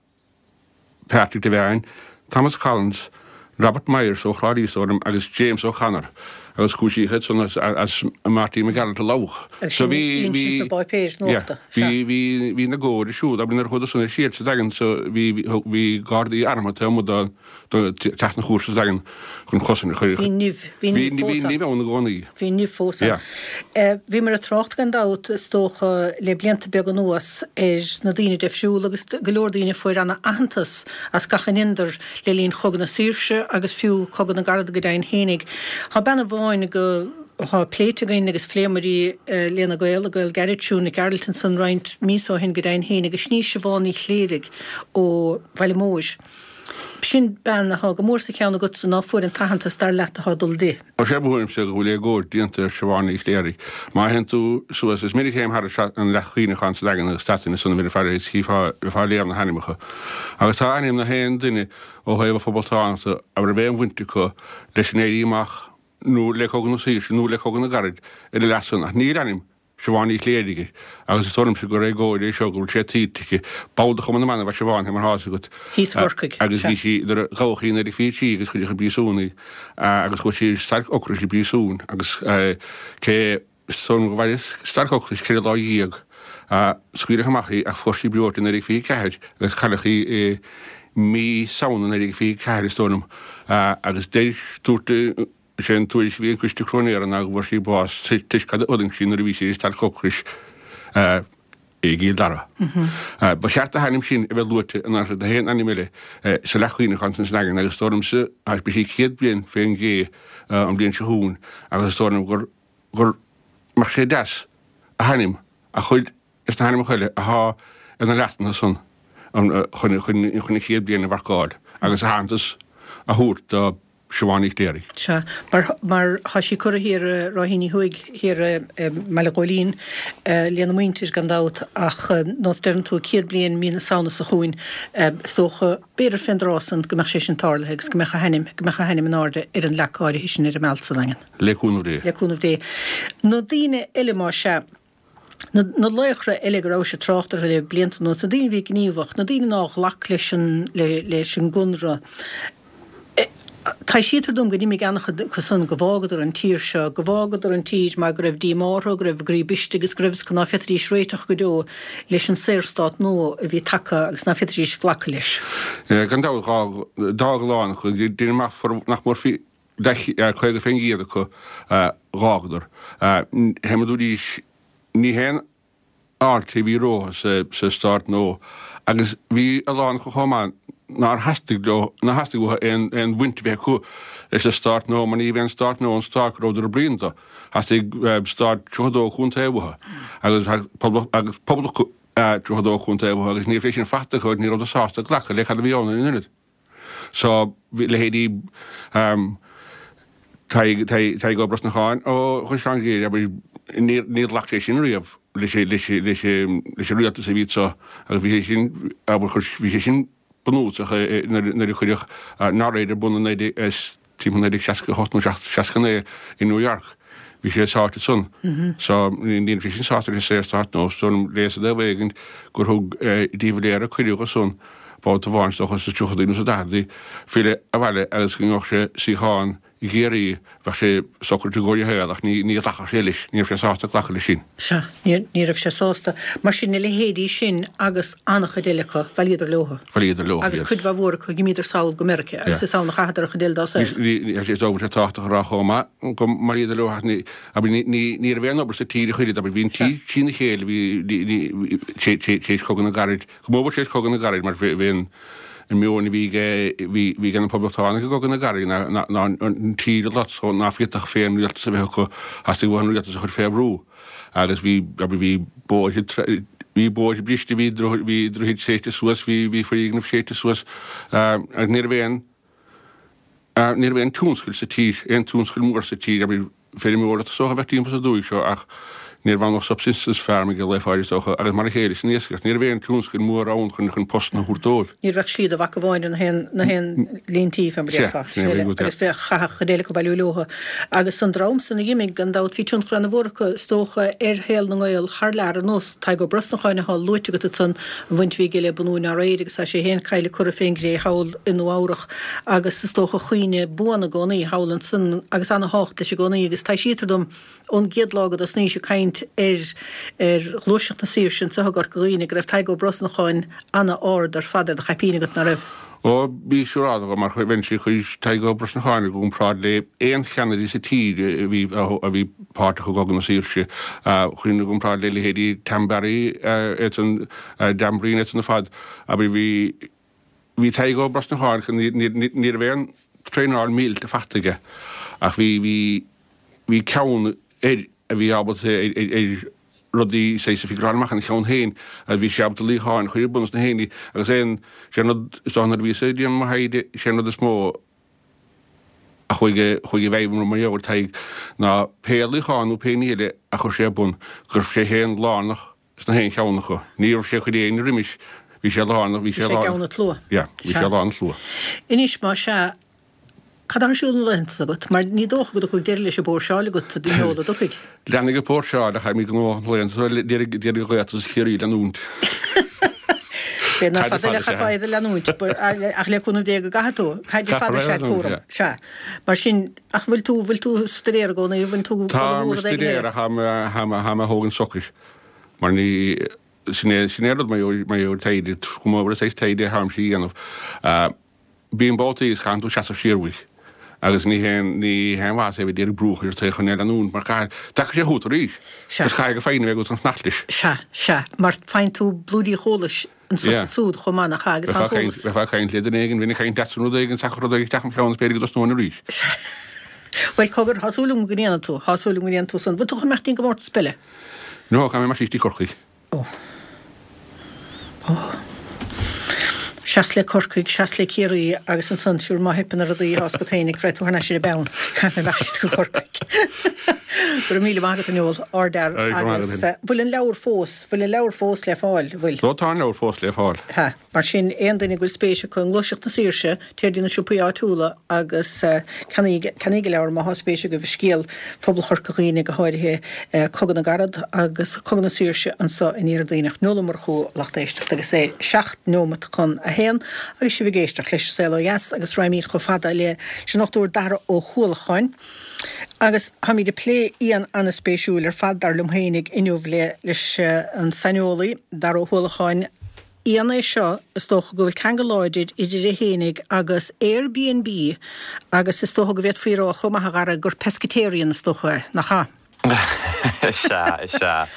S9: Patrick Devine, Thomas Collins, Robert Myers ó Thrá Lí is dóigh liom agus James O'Connor. Agus cúisíodh iad san as Martin McGarrett a lamhach.
S1: Agus sin insint na bpáipéir nuachta.
S9: Sea. Bhí, bhí, bhí na góirí siúd, abair nuair a chuadar san ar siar sa Daingean so bhí, bhí gardaí armtha taobh amuigh de, de teach na cúirte sa Daingean chun chosaint a chur.
S1: Bhí nimh, bhí nimh fós
S9: ann. Bhí nimh ann i gcónaí.
S1: Bhí nimh fós ann.
S9: Yeah.
S1: Bhíomar ag trácht gan dabht, is dócha, le blianta beaga anuas ar na daoine deifriúla agus go leor daoine a fuair ana-aitheantas as gach a ndeineadar le linn Chogadh na Saoirse agus fiú Cogadh na gCarad go deimhin fhéinig. Tá bean amháin go thá pléite againn agus phléamar í lena gaol, a gaol gairid Siún Nic Gearailt ansan roinnt míosa ó shin go deimhin fhéinig, sin í Siobhán Ní Chléirigh ó Bhaile Móir. Sin bean athá go mór sa cheann agatsa ná fuair an t-aitheantas dar leat athá ag dul di.
S9: Ó sea, mothaímse go bhfuil éagóir déanta ar Siobhán Ní Chléirigh. Má théann tú suas, is minic a théim thar an leac chuimhneacháin sa Daingean agus statainn ansan a bheifeá bheifeá ag léamh na hainmneacha. Agus tá ainm na haon duine ó thaobh an phoblachtánachta a raibh aon bhaint acu leis an Éirí Amach nó le Cogadh na Saoirse nó le Cogadh na gCarad ar an leac san ach níl ainm Siobhán Ní Chléirigh air, agus is dóigh liomsa gur éagóir é seo go bhfuil sé tuillte aici. Ball de Chumann na mBan ab ea Siobhán, fé mar atá fhios agat.
S1: Thíos i gCorcaigh,
S9: Agus bhí sí, nuair a gabhadh í i 1923 agus cuireadh i bpríosún í, agus chuaigh sí ar stailc ocrais i bpríosún agus cé, is dóigh liom go mhair stailc ocrais 14 lá, scaoileadh amach í ach fuair sí breoite i 1924 agus cailleadh í i mí Samhna 1924 is dóigh liom, agus deir, dúirt, Is é an tuairisc a bhí ag an Coiste Cróinéara ná go bhfuair sí bás toisc cad a fhulaing sí nuair a bhí sí ar stailc ocrais i gCill Dara. Ba cheart a hainm sin a bheith luaite in áit na haon ainm eile sa leac chuimhneacháin san sa nDaingean agus is dóigh liomsa beidh sí 100 bliain fén gcé an bhliain seo chugainn agus is dóigh liom gur gur mbeadh sé deas a hainm a chur leis na hainmneacha eile athá ar na leachtanna san chun chun an chéad bliain a mharcáil agus aitheantas a thabhairt do Siobhán Ní Chléirigh.
S1: Sea, mar, mar thá sí curtha thiar i Ráithíní Thuaidh, thiar i mBaile Ghóilín, lena muintir, gan dabht, ach nós deireann tú, 100 bliain mí na Samhna seo chugainn, is dócha, b'fhéidir fén dtráth san, go mbeadh sé sin tarlaithe agus go mbeadh a hainm, go mbeadh a hainm in airde ar an leac áirithe sin ar an Mealt sa Daingean.
S9: Le cúnamh Dé.
S1: Le cúnamh Dé. Na daoine eile, más ea. Na laochra eile go rabhais ag trácht orthu le blianta anuas, na daoine a bhí gníomhach, na daoine nár ghlac leis an leis an gConradh, taibhsítear dom go d'imigh an-chuid acu san, go bhfágadar an tír seo, go bhfágadar an tír mar go raibh díomá orthu, go raibh a gcroí briste agus go raibh fhios acu ná féadfaidís réiteach go deo leis an Saorstát nua a bhí tagtha agus ná féadfaidís glacadh leis.
S9: Gan dabht, d'fhág a lán acu, déarfainn amach nach mór 50% acu dh'fhágadar. Fé mar a dúraís, ní haon fháilte a bhí rompu sa stát nua agus bhí a lán acu chomh maith nár theastaigh leo, nár theastaigh uathu aon bhaint a bheith acu leis an stát nua mar ní bhí an stát nua an stát go rabhadar ag bruíon dó. Theastaigh stát 32 chontae uathu agus poblacht 32 chontae uathu agus ní raibh sé sin faighte acu agus ní rabhadar sásta glacadh le cad a bhí ann ina ionad. So, bhí leithéidí Tadhg, Tadhg Ó Brosnacháin ó Chaisleán Ghriaire, abair, níor, níor ghlac sé sin riamh leis, leis, leis, leis an rialtas a bhí anso agus bhí sé sin, abair, chuir, bhí sé sin bunúsach nuair, nuair a cuireadh NORAID ar bun i 19, timpeall 1968 nó 69 i New York. Bhí sé sáite ansan. So, ní raibh sé sin sásta leis an Saorstát nua. So, léas i dtaobh éigin gur thug de Valera cuireadh dó san babhta amháin is dócha sna tríochadaí nó sna daicheadaí filleadh abhaile agus go ngeobhadh sé suíochán i gCiarraí bheadh sé socraithe i gcomhair a shaol ach ní ghlacfadh sé leis, ní raibh sé sásta glacadh leis sin.
S1: Sea, ní raibh sé sásta. Mar sin, na leithéidí sin agus an-chuid eile acu, bhailíodar leo.
S9: Bhailíodar leo,
S1: Agus cuid mhaith mhór acu, dh'imíodar sall go Meiriceá agus is ann a chaitheadar an chuid eile dá saol.
S9: Is dóigh go bhfuil sé tábhachtach a rá chomh maith go mbailíodar leo ach ní, abair, ní raibh aon obair sa tír ach oiread, abair, bhí an tír trína chéile, bhí, tar éis Chogadh na gCarad, go mór mhór tar éis Chogadh na gCarad mar bhí an, an meon a bhí ag bhí ag na Poblachtánaigh i gCogadh na gCarad ná ná an tír a lot so ná féadfadh féinrialtas a bheith acu theastaigh uathu an rialtas a chur fé bhrú agus bhí abair bhí bóithre bhí bóithre briste bhí bhí droichid séidte suas bhí bhí foirgnimh séidte suas agus ní raibh aon ní raibh aon tionscal sa tír aon tionscal mór sa tír abair feirmeoireacht is dócha a bheadh timpeall sa dúiche seo ach. Ní raibh ann ach subsistence farming ag Laoi Pháid is dócha agus mar a chéile san iascaireacht. Ní raibh aon tionscal mór ann chun chun postanna a thabhairt dóibh.
S1: Ní raibh ach slí do mhac amháin ar na haon na haon líntí fé mar a déarfá.
S9: Sea, sin é a bhí agat, yeah.
S1: Agus bheadh chaithfeadh chuid eile acu bailiú leotha. Agus an dream san a dh'imigh, gan dabht, bhí tionchar ana-mhór acu, is dócha, ar shaol na nGael thar lear, ar nós Tadhg Ó Brosnacháin athá luaite agat ansan, an bhaint a bhí aige le bunú NRA agus tá sé féin caillte curtha fén gcré thall i Nua Eabhrach agus is dócha cuimhne buan i gcónaí thall ansan agus ana-thábhacht leis i gcónaí agus taibhsítear dom ón gcéad lá go dtosnaís ag caint ar ar Ghluaiseacht na Saoirse anseo i gCorca Dhuibhne go raibh Tadhg Ó Brosnacháin ana-ard ar fad ar do chaipín agat, ná raibh?
S9: Ó, bhí siúráilte agam mar bheinnse ag cur Tadhg Ó Brosnacháin i gcomparáid le aon cheannaire sa tír a bhí a bhí páirteach i gCogadh na Saoirse. Chuirfinn i gcomparáid le leithéidí Tom Barry, iadsan, Dan Breen, iadsan ar fad. Abair bhí Bhí Tadhg Ó Brosnacháin, ní raibh aon traenáil míleata faighte aige ach bhí, bhí, bhí ceann air a bhí ábalta ar, ar rudaí saghas a figureáil amach ina cheann féin agus bhí sé ábalta luíocháin a chur ar bun is na héinní agus aon, sé an rud is dócha nuair a bhíos ag déanamh mo thaighde, sé an rud is mó a chuaigh, chuaigh i bhfeidhm orm mar gheall ar Tadhg ná pé luíochán nó pé ní eile a chuir sé ar bun, go raibh sé féin lárnach sna haon cheann acu. Ní raibh sé ag cur éinne roimis, bhí sé lárnach, bhí sé
S1: lárnach. Bhí sé i gceann an tslua.
S9: Yeah, bhí sé lár an tslua.
S1: Anois, más ea, cad atá ar siúl na laethanta seo agat? Mar ní dócha go dtiocfaidh deireadh leis an bpóirseáil agat, a Noel, an dtiocfaidh?
S9: Leanfaidh an phóirseáil ach táimid gnóthach na laethanta seo, d'iarraidh an ghaolta is Chiarraí leanúint.
S1: B'fhéidir nach fada eile chaithfeá iad a leanúint, ach le cúnamh Dé go gcaithfidh tú. Caidé fada is ea cúram. Sea. Mar sin, ach bhfuil tú, bhfuil tú ag stuidéar i gcónaí, bhfuil tú
S9: Tá mé ag stuidéar ach tá mé ag thógaint socair mar ní, sin é, sin é an rud mar gheall ar taighde, go mór mór an saghas taighde atáimse a dhéanamh. Bíonn babhtaí agus caitheann tú seasamh siar uait agus ní haon, ní haon mhaitheas é a bheith ag iarraidh brú a chur ort chun é a leanúint mar caithfidh, tagann sé chugat arís
S1: Sea.
S9: agus caithfidh go foighne a bheith agat chun fanacht leis.
S1: Sea, sea, mar faigheann tú blúirí eolais anso is ansúd chomh maith, nach ea, agus
S9: tá an t-eolas. Bheifeá ag caint le duine éigin, bheinn ag caint leatsa nó rud éigin, thiocfadh rud éigin isteach im cheann is b'fhéidir go dtosnóinn arís.
S1: Bhuel, cogar, tá súil agam go ndéanfaidh tú, tá súil agam go ndéanfaidh tú san. Bhfuil tú chun imeacht dtí'n gcomórtas peile?
S9: No, caithfidh mé imeacht síos dtí Corcaigh.
S1: Ó. Ó. Seas le Corcaigh, seas le Ciarraí agus ansan, siúr má theipeann ar rudaí, tá a fhios agat féin, raghaidh tú thar n-ais ar an bpeann. Caithfidh mé imeacht síos go Corcaigh. Go raibh míle maith agat, a Noel, ardfhear agus bhfuil an leabhar fós? Bhfuil an leabhar fós le fáil, bhfuil?
S9: Ó tá an leabhar fós le fáil.
S1: Tá. Mar sin, aon duine go bhfuil spéis acu i nGluaiseacht na Saoirse, téir dtí na siopaí áitiúla agus ceannaíg, ceannaíg an leabhar má thá spéis agaibh i scéal phobal Chorca Dhuibhne, go háirithe Cogadh na gCarad agus Cogadh na Saoirse anso in Iarthar Duibhneach. Noel Ó Murchú, lucht éisteachta, agus é 7 neomat chun a haon agus sibh ag éisteacht leis An Saol Ó Dheas agus raghaimid chomh fada leis an Dr Dara Ó hUallacháin. Agus táimid ag plé éan an-spéisiúil ar fad, dar liom féinig, inniu le leis an saineolaí, Dara Ó hUallacháin. Éan é seo is dócha go bhfuil ceangal láidir idir é fhéinig agus Airbnb agus is dócha go bhféadfaí a rá chomh maith, a Dhara, gur pescatarian is dócha é, nach ea?
S10: Is ea, is ea.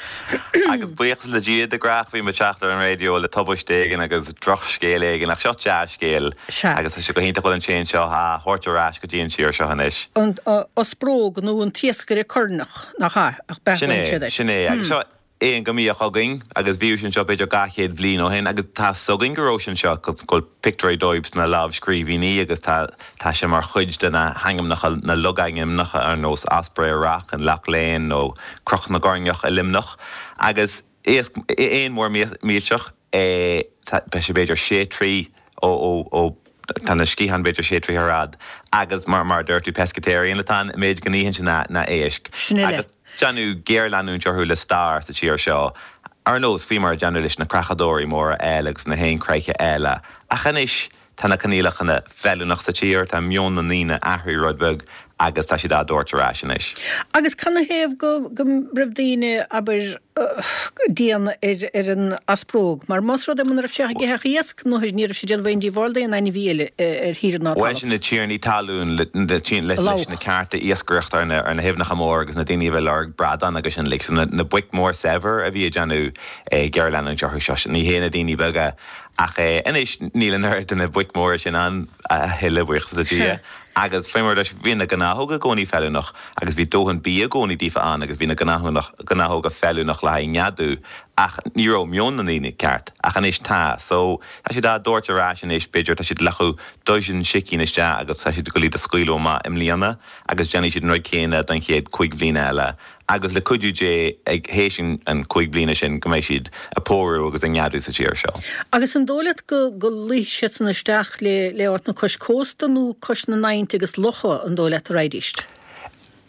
S10: Agus buíochas le Dia, de gnách bím ag teacht ar an raidió le tubaiste éigin agus drochscéal éigin, ach seo dea-scéal
S1: Sea.
S10: agus tá sé go hiontach go bhfuil an t-éan seo á thabhairt ar ais go dtí an tír seo anois.
S1: An ospróg nó an t-iascaire coirneach, nach ea? Ach
S10: Sin
S1: beathnaíonn
S10: é,
S1: siad air.
S10: sin é. Agus seo éan go mbíodh againn agus bhíodh sé anseo b'fhéidir 200 bhliain ó shin agus tá 'fhios againn go raibh sé anseo go bhfuil pictiúirí dóibh sna lámhscríbhinní agus tá tá sé mar chuid de na hainmneacha, na logainmneacha ar nós Osprey Rock in Lough Leane nó Cnoc na gCoirneach i Luimneach agus iasc, éan mór millteach é, tá sé b'fhéidir sé troigh ó, ó, ó, tá na sciatháin b'fhéidir sé troigh ar fhad agus mar, mar a dúirt tú pescatarian atá ann, an méid go n-itheann sé ná, ná éisc.
S1: Sin uile.
S10: Agus déanadh géarleanúint orthu le stair sa tír seo, ar nós faoi mar a déanadh leis na creachadóirí móra eile agus na héin chreiche eile ach anois Tá na coinníollacha feiliúnach sa tír, tá meon na ndaoine athraithe rud beag agus tá siad á dtabhairt ar ais anois.
S1: Agus canathaobh go go raibh daoine, abair, dian ar ar an aspróg? Mar más rud é muna raibh sé ag ithe ach iasc, nó ní raibh sé ag déanamh aon díobháil d'aon ainmhí eile ar thír ná
S10: Bhuel
S1: talamh.
S10: sin na tiarnaí talún leis
S1: A lobhadh.
S10: na cearta iascaireachta ar na ar na haibhneacha móra agus na daoine a bhí ag lorg bradán agus sin like. So na na boic mór saibhir a bhí ag déanamh géarleanúint orthu seo, ní hé na daoine beaga. Ach anois níl an oiread de na boic mhóra sin ann a thuilleadh, buíochas le Dia. Agus faoi mar a dúirt, bhí na gnáthóga i gcónaí feiliúnach agus bhí dóthain bia i gcónaí daofa ann agus bhí na gnáthóga feiliúnach le haghaidh neadú ach ní raibh meon na ndaoine ceart. Ach anois tá. So, tá siad á dtabhairt ar ais anois, b'fhéidir, tá siad ag glacadh dozen sicín isteach agus tá siad ag goil iad a scaoileadh amach i mbliana agus déanfaidh siad an rud céanna don chéad chúig bhliana eile. agus le cuidiú Dé ag théis an 5 bliana sin go mbeidh siad a pórú agus a neadú sa tír seo.
S1: Agus an dóigh leat go go luífidh siadsan isteach le le áiteanna cois cósta nó cois na n-aibhnte agus locha an dóigh leat a raghaidíst?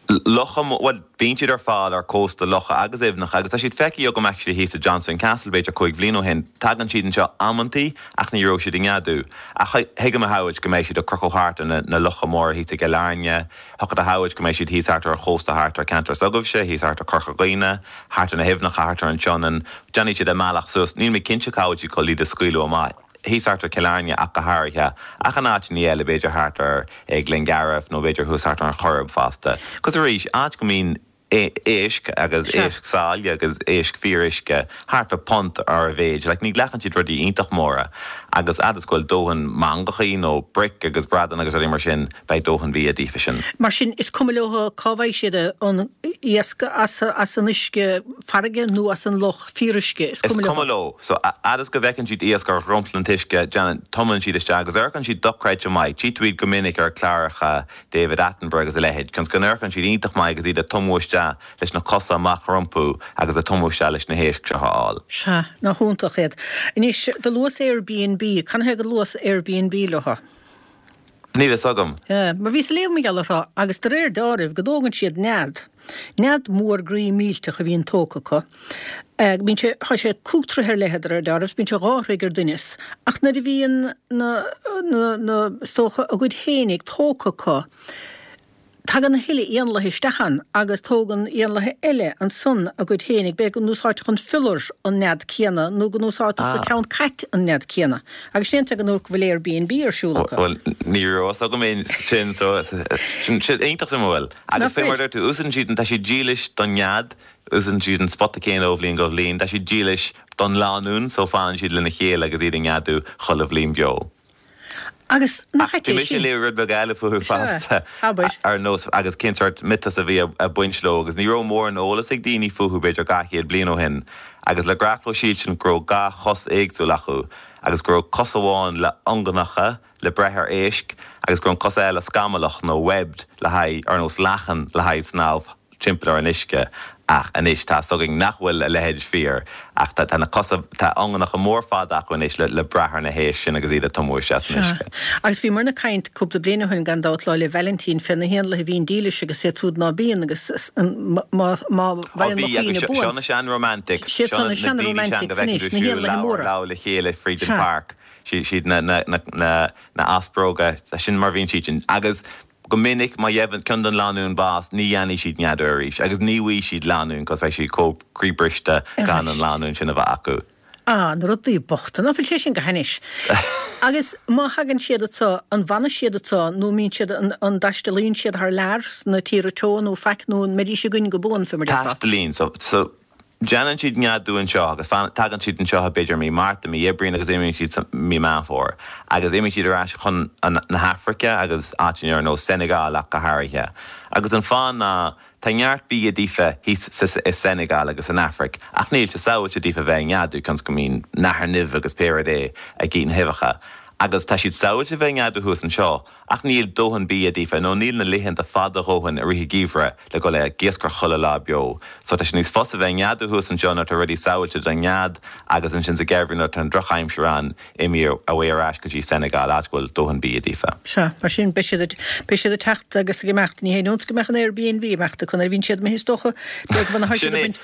S10: Locha, bhuel bíonn siad ar fáil ar cósta locha agus aibhneacha agus tá siad feicthe agam actually thíos i Johnstown Castle b'fhéidir 5 bhliain ó shin. Tagann siad anseo amantaí ach ní raibh siad ag neadú. Ach thig liom a shamhailt go mbeidh siad ag crochadh thart ar na locha móra thíos i gCill Airne, Thiocfadh a shamhailt go mbeidh siad thíos thart ar an chósta thart ar ceantar s'agaibhse, thíos thart ar Corca Dhuibhne, thart ar na haibhneacha thart ar an tSionainn. Déanfaidh siad a mbealach suas. Níl mé cinnte cá bhfuil siad chun iad a scaoileadh amach. Thíos thart ar Cill Airne ach go háirithe. Ach in áiteanna eile, b'fhéidir thart ar Ghleanngarbh nó b'fhéidir thuas thart ar an Choirib fosta. 'Cos arís, áit go mbíonn éisc agus éisc sáile agus éisc fíoruisce thart fá punt ar a mhéid. Like ní ghlacann siad rudaí iontach móra agus fhad is go bhfuil dóthain mangachaí nó bric agus bradán agus rudaí mar sin beidh dóthain bia daofa sin.
S1: Mar sin is cuma leo cá bhfaighidh siad an iasc, as as an uisce farraige nó as an loch, fíoruisce, is
S10: cuma leo. Is cuma leo. So fhad is go bhfeiceann siad iasc ar dhromchla an t-uisce déanann, tumann siad isteach agus amharcann siad dochreidte maith. Tchí tú iad go minic ar chláracha David Attenborough agus a leithéid, cionn 's go n-amharcann siad iontach maith agus iad ag tumadh isteach leis na cosa amach rompu agus ag tumadh isteach leis na héisc seo a fháil.
S1: Sea, nach iontach iad. Anois, do luas Airbnb, canathaobh gur luas Airbnb leo?
S10: Níl fhios agam.
S1: Sea, mar bhíos ag léamh mar gheall orthu agus de réir deáraimh go dtógann siad nead, nead mór groí millteach a bhíonn tógtha acu. Bíonn sé, tá sé 5 troithe ar leithead de réir deáraimh, bíonn sé 2 throigh ar doinneas, ach nuair a bhíonn na, na, na, is dócha, a gcuid fhéinig tógtha acu, tagann a thuilleadh éanlaithe isteach ann agus tógann éanlaithe eile ansan a gcuid fhéinig, b'fhéidir go n-úsáidfeadh an fiolar an nead céanna nó go n-úsáidfeadh an ceann cait an nead céanna. Agus sin an tuige go bhfuil Airbnb ar siúl acu.
S10: Bhuel, ní raibh fhios agam é sin, so, sin iontach suimiúil. Agus fé mar a deir tú, úsáideann siad, tá siad dílis don nead, Úsáideann siad an spota céanna ó bhliain go bhliain. Tá siad dílis don lánúin so fanann siad lena chéile agus iad ag neadú chuile bhliain beo.
S1: Agus nach ait
S10: é sin? Bhí mise ag léamh rud beag eile fúthu fosta, ar nós, agus cén sórt miotas a bhí ag baint leo agus ní raibh mórán eolas ag daoine fúthu b'fhéidir 200 bliain ó shin agus le gnách leo síltear go raibh dhá chos éagsúil acu agus go raibh cos amháin le iongannacha le breith ar éisc agus go raibh an cos eile scamallach nó webbed le haghaidh, ar nós lachan, le haghaidh snámh timpeall ar an uisce ach anois tá 'fhios againn nach bhfuil a leithéid fíor ach tá tá na cosa, tá iongannacha mór fada acu anois le le brath ar na héisc sin agus iad ag tumadh isteach san
S1: Sea.
S10: uisce.
S1: Agus bhíomarna ag caint cúpla bliain ó shin gan dabht Lá 'le Vailintín fé na héanlaithe a bhíonn dílis agus iad súd ná bíonn agus má má
S10: Ó mhaireann mo
S1: bhí
S10: agus
S1: chuimhne
S10: seo seo
S1: buan.
S10: na sean-romantics,
S1: Siad
S10: seo
S1: san
S10: na
S1: na
S10: na daoine sean
S1: sean-romantics
S10: go bhfeiceann
S1: anois,
S10: tú
S1: na
S10: siúl
S1: héanlaithe
S10: lámh ar
S1: móra.
S10: lámh le chéile fríd an
S1: Sea.
S10: pháirc. Siad na na na na na asparóga, sin mar a bhíonn siad sin. Agus go minic má gheibheann ceann den lánúin bás ní dhéanfaidh siad neadú arís agus ní bhfaighidh siad lánúin 'cause beidh siad chomh croíbhriste gan an
S1: Arís.
S10: lánúin sin a bheith acu.
S1: Ah, na rudaí bochta, ná fuil sé sin go hainnis? Agus má thagann siad anso, an bhfanann siad anso nó an mbíonn siad, an an dtaistealaíonn siad thar lear sna tíortha teo nó faic nó an mbeidís againn go buan, fé mar déarfá?
S10: Taistealaíonn, so, so. Déanann siad neadú anseo agus tagann siad anseo b'fhéidir mí Márta, mí Aibreáin agus imíonn siad sa mí Meán Fómhair. Agus imíonn siad ar ais chun na hAfraice agus áiteanna ar nós Senegal ach go háirithe. Agus an fáth ná tá neart bia daofa thíos sa i Senegal agus san Afraic ach níl sé sábháilte daofa bheith ag neadú cionn 's go mbíonn nathair nimh agus pé rud é ag ithe na huibheacha. Agus tá siad sábháilte bheith ag neadú thuas anseo Ach níl dóthain bia daofa, nó níl na laethanta fada a dhóthain i rith an gheimhridh le dhul ag iascaireacht chuile lá beo. So tá sé níos fusa bheith ag neadú thuas anseo nuair atá rudaí sábháilte don nead agus ansin sa gheimhreadh nuair atá an drochaimsir ann, imíonn away ar ais go dtí Senegal, áit go bhfuil dóthain bia daofa.
S1: Sea, mar sin beidh siad ag, beidh siad ag teacht agus ag imeacht. Ní haon iontas go mbeadh an Airbnb ag imeacht acu nuair a bhíonn siad imithe is dócha, beidh go
S10: Sin é,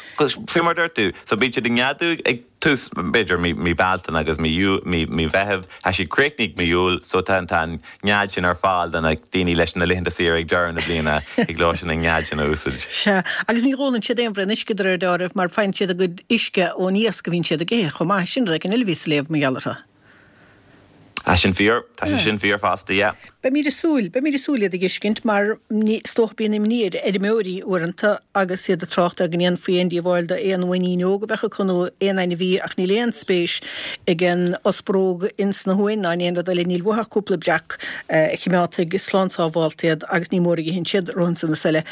S10: faoi mar a dúirt tú, so bíonn siad ag neadú ag. tús, b'fhéidir, mí Bealtaine agus mí mí Mheithimh. Tá siad críochnaithe mí Iúil so tá an nead sin ar fáil do na daoine leis na laethanta saoire ag deireadh na bliana, thig leo sin an nead sin a úsáid.
S1: Sea, agus ní ólann siad aon bhraon uisce de réir dealraimh mar faigheann siad a gcuid uisce ón iasc a bhíonn siad ag ithe chomh maith. Sin rud éigin eile a bhíos ag léamh mar gheall orthu.
S10: Tá sin fíor, tá sé sin fíor fosta, yeah.
S1: Beimid ag súil, beimid ag súil iad a dh'fheiscint mar ní, is dócha bíonn imní ar fheirmeoirí uaireanta agus iad ag trácht ar go ndéanfaí aon díobháil d'aon uainín óg a bheadh acu nó aon ainmhí ach níl aon spéis ag an ospróg ins na huain ná in aon rud eile, níl uathu ach cúpla breac a chimeádfaidh slán sábhálta iad agus ní mór a itheann siad rompu san is eile.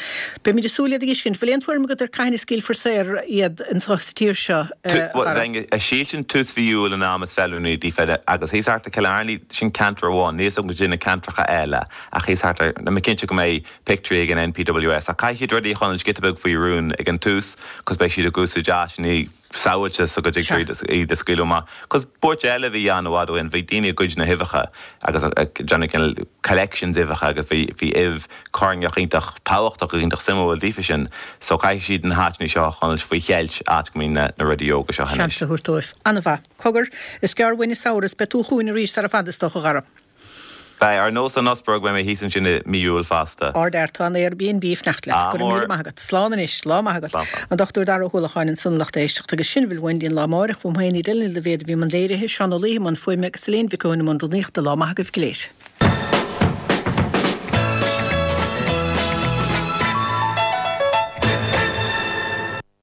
S1: Beimid ag súil iad a dh'fheiscint. Bhfuil aon tuairim agat ar cathain a scaoilfear saor iad anso sa tír seo, a
S10: Bhuel,
S1: Dhara?
S10: bheinn ag sílsint tús mhí Iúil an am is feiliúnaí daofa agus thíos thart i Cill Airne. Apparently sin ceantar amháin, níl a fhios agam goidé na ceantracha eile ach thíos thart ar, tá mé cinnte go mbeidh pictiúirí ag an NPWS ach caithfidh siad rudaí a choinneáil giota beag faoi rún ag an tús cos beidh siad ag úsáid áiseanna samhailteach so go dtig iad a scaoileadh amach. Cos buairt eile a bhí ann i bhfad ó shin, bhí daoine ag goid na huibheacha agus ag déanamh cineál collections uibheacha agus bhí bhí uibh coirneach iontach tábhachtach agus iontach suimiúil daofa sin. So caithfidh siad na háiteanna seo a choinneáil faoi cheilt, áit go mbíonn na na rudaí óga seo anois.
S1: Seans a thabhairt dóibh. An-mhaith. Cogar, is gearr uainn an samhradh is beidh tú chugainn arís sara fada is dócha, a Dhara.
S10: Beidh, ar nós an Osprog, beidh mé thíos ansin i mí Iúil fosta.
S1: Ardfhear, tá an Airbnb ag fanacht leat.
S10: Ádh
S1: Go raibh míle
S10: mór.
S1: maith agat. Slán anois. Lá maith agat.
S10: Slán, slán.
S1: An Dr Dara Ó hUallacháin ansan a lucht éisteachta agus sin a bhfuil uainn go dtí an lá amáireach. Uaim féin Edel Ní Loibhéad a bhí i mbun léirithe, Seán Ó Laoithe i mbun fuaime agus Elaine Mhic Eoin i mbun rúnaíochta. Lá maith agaibh go léir.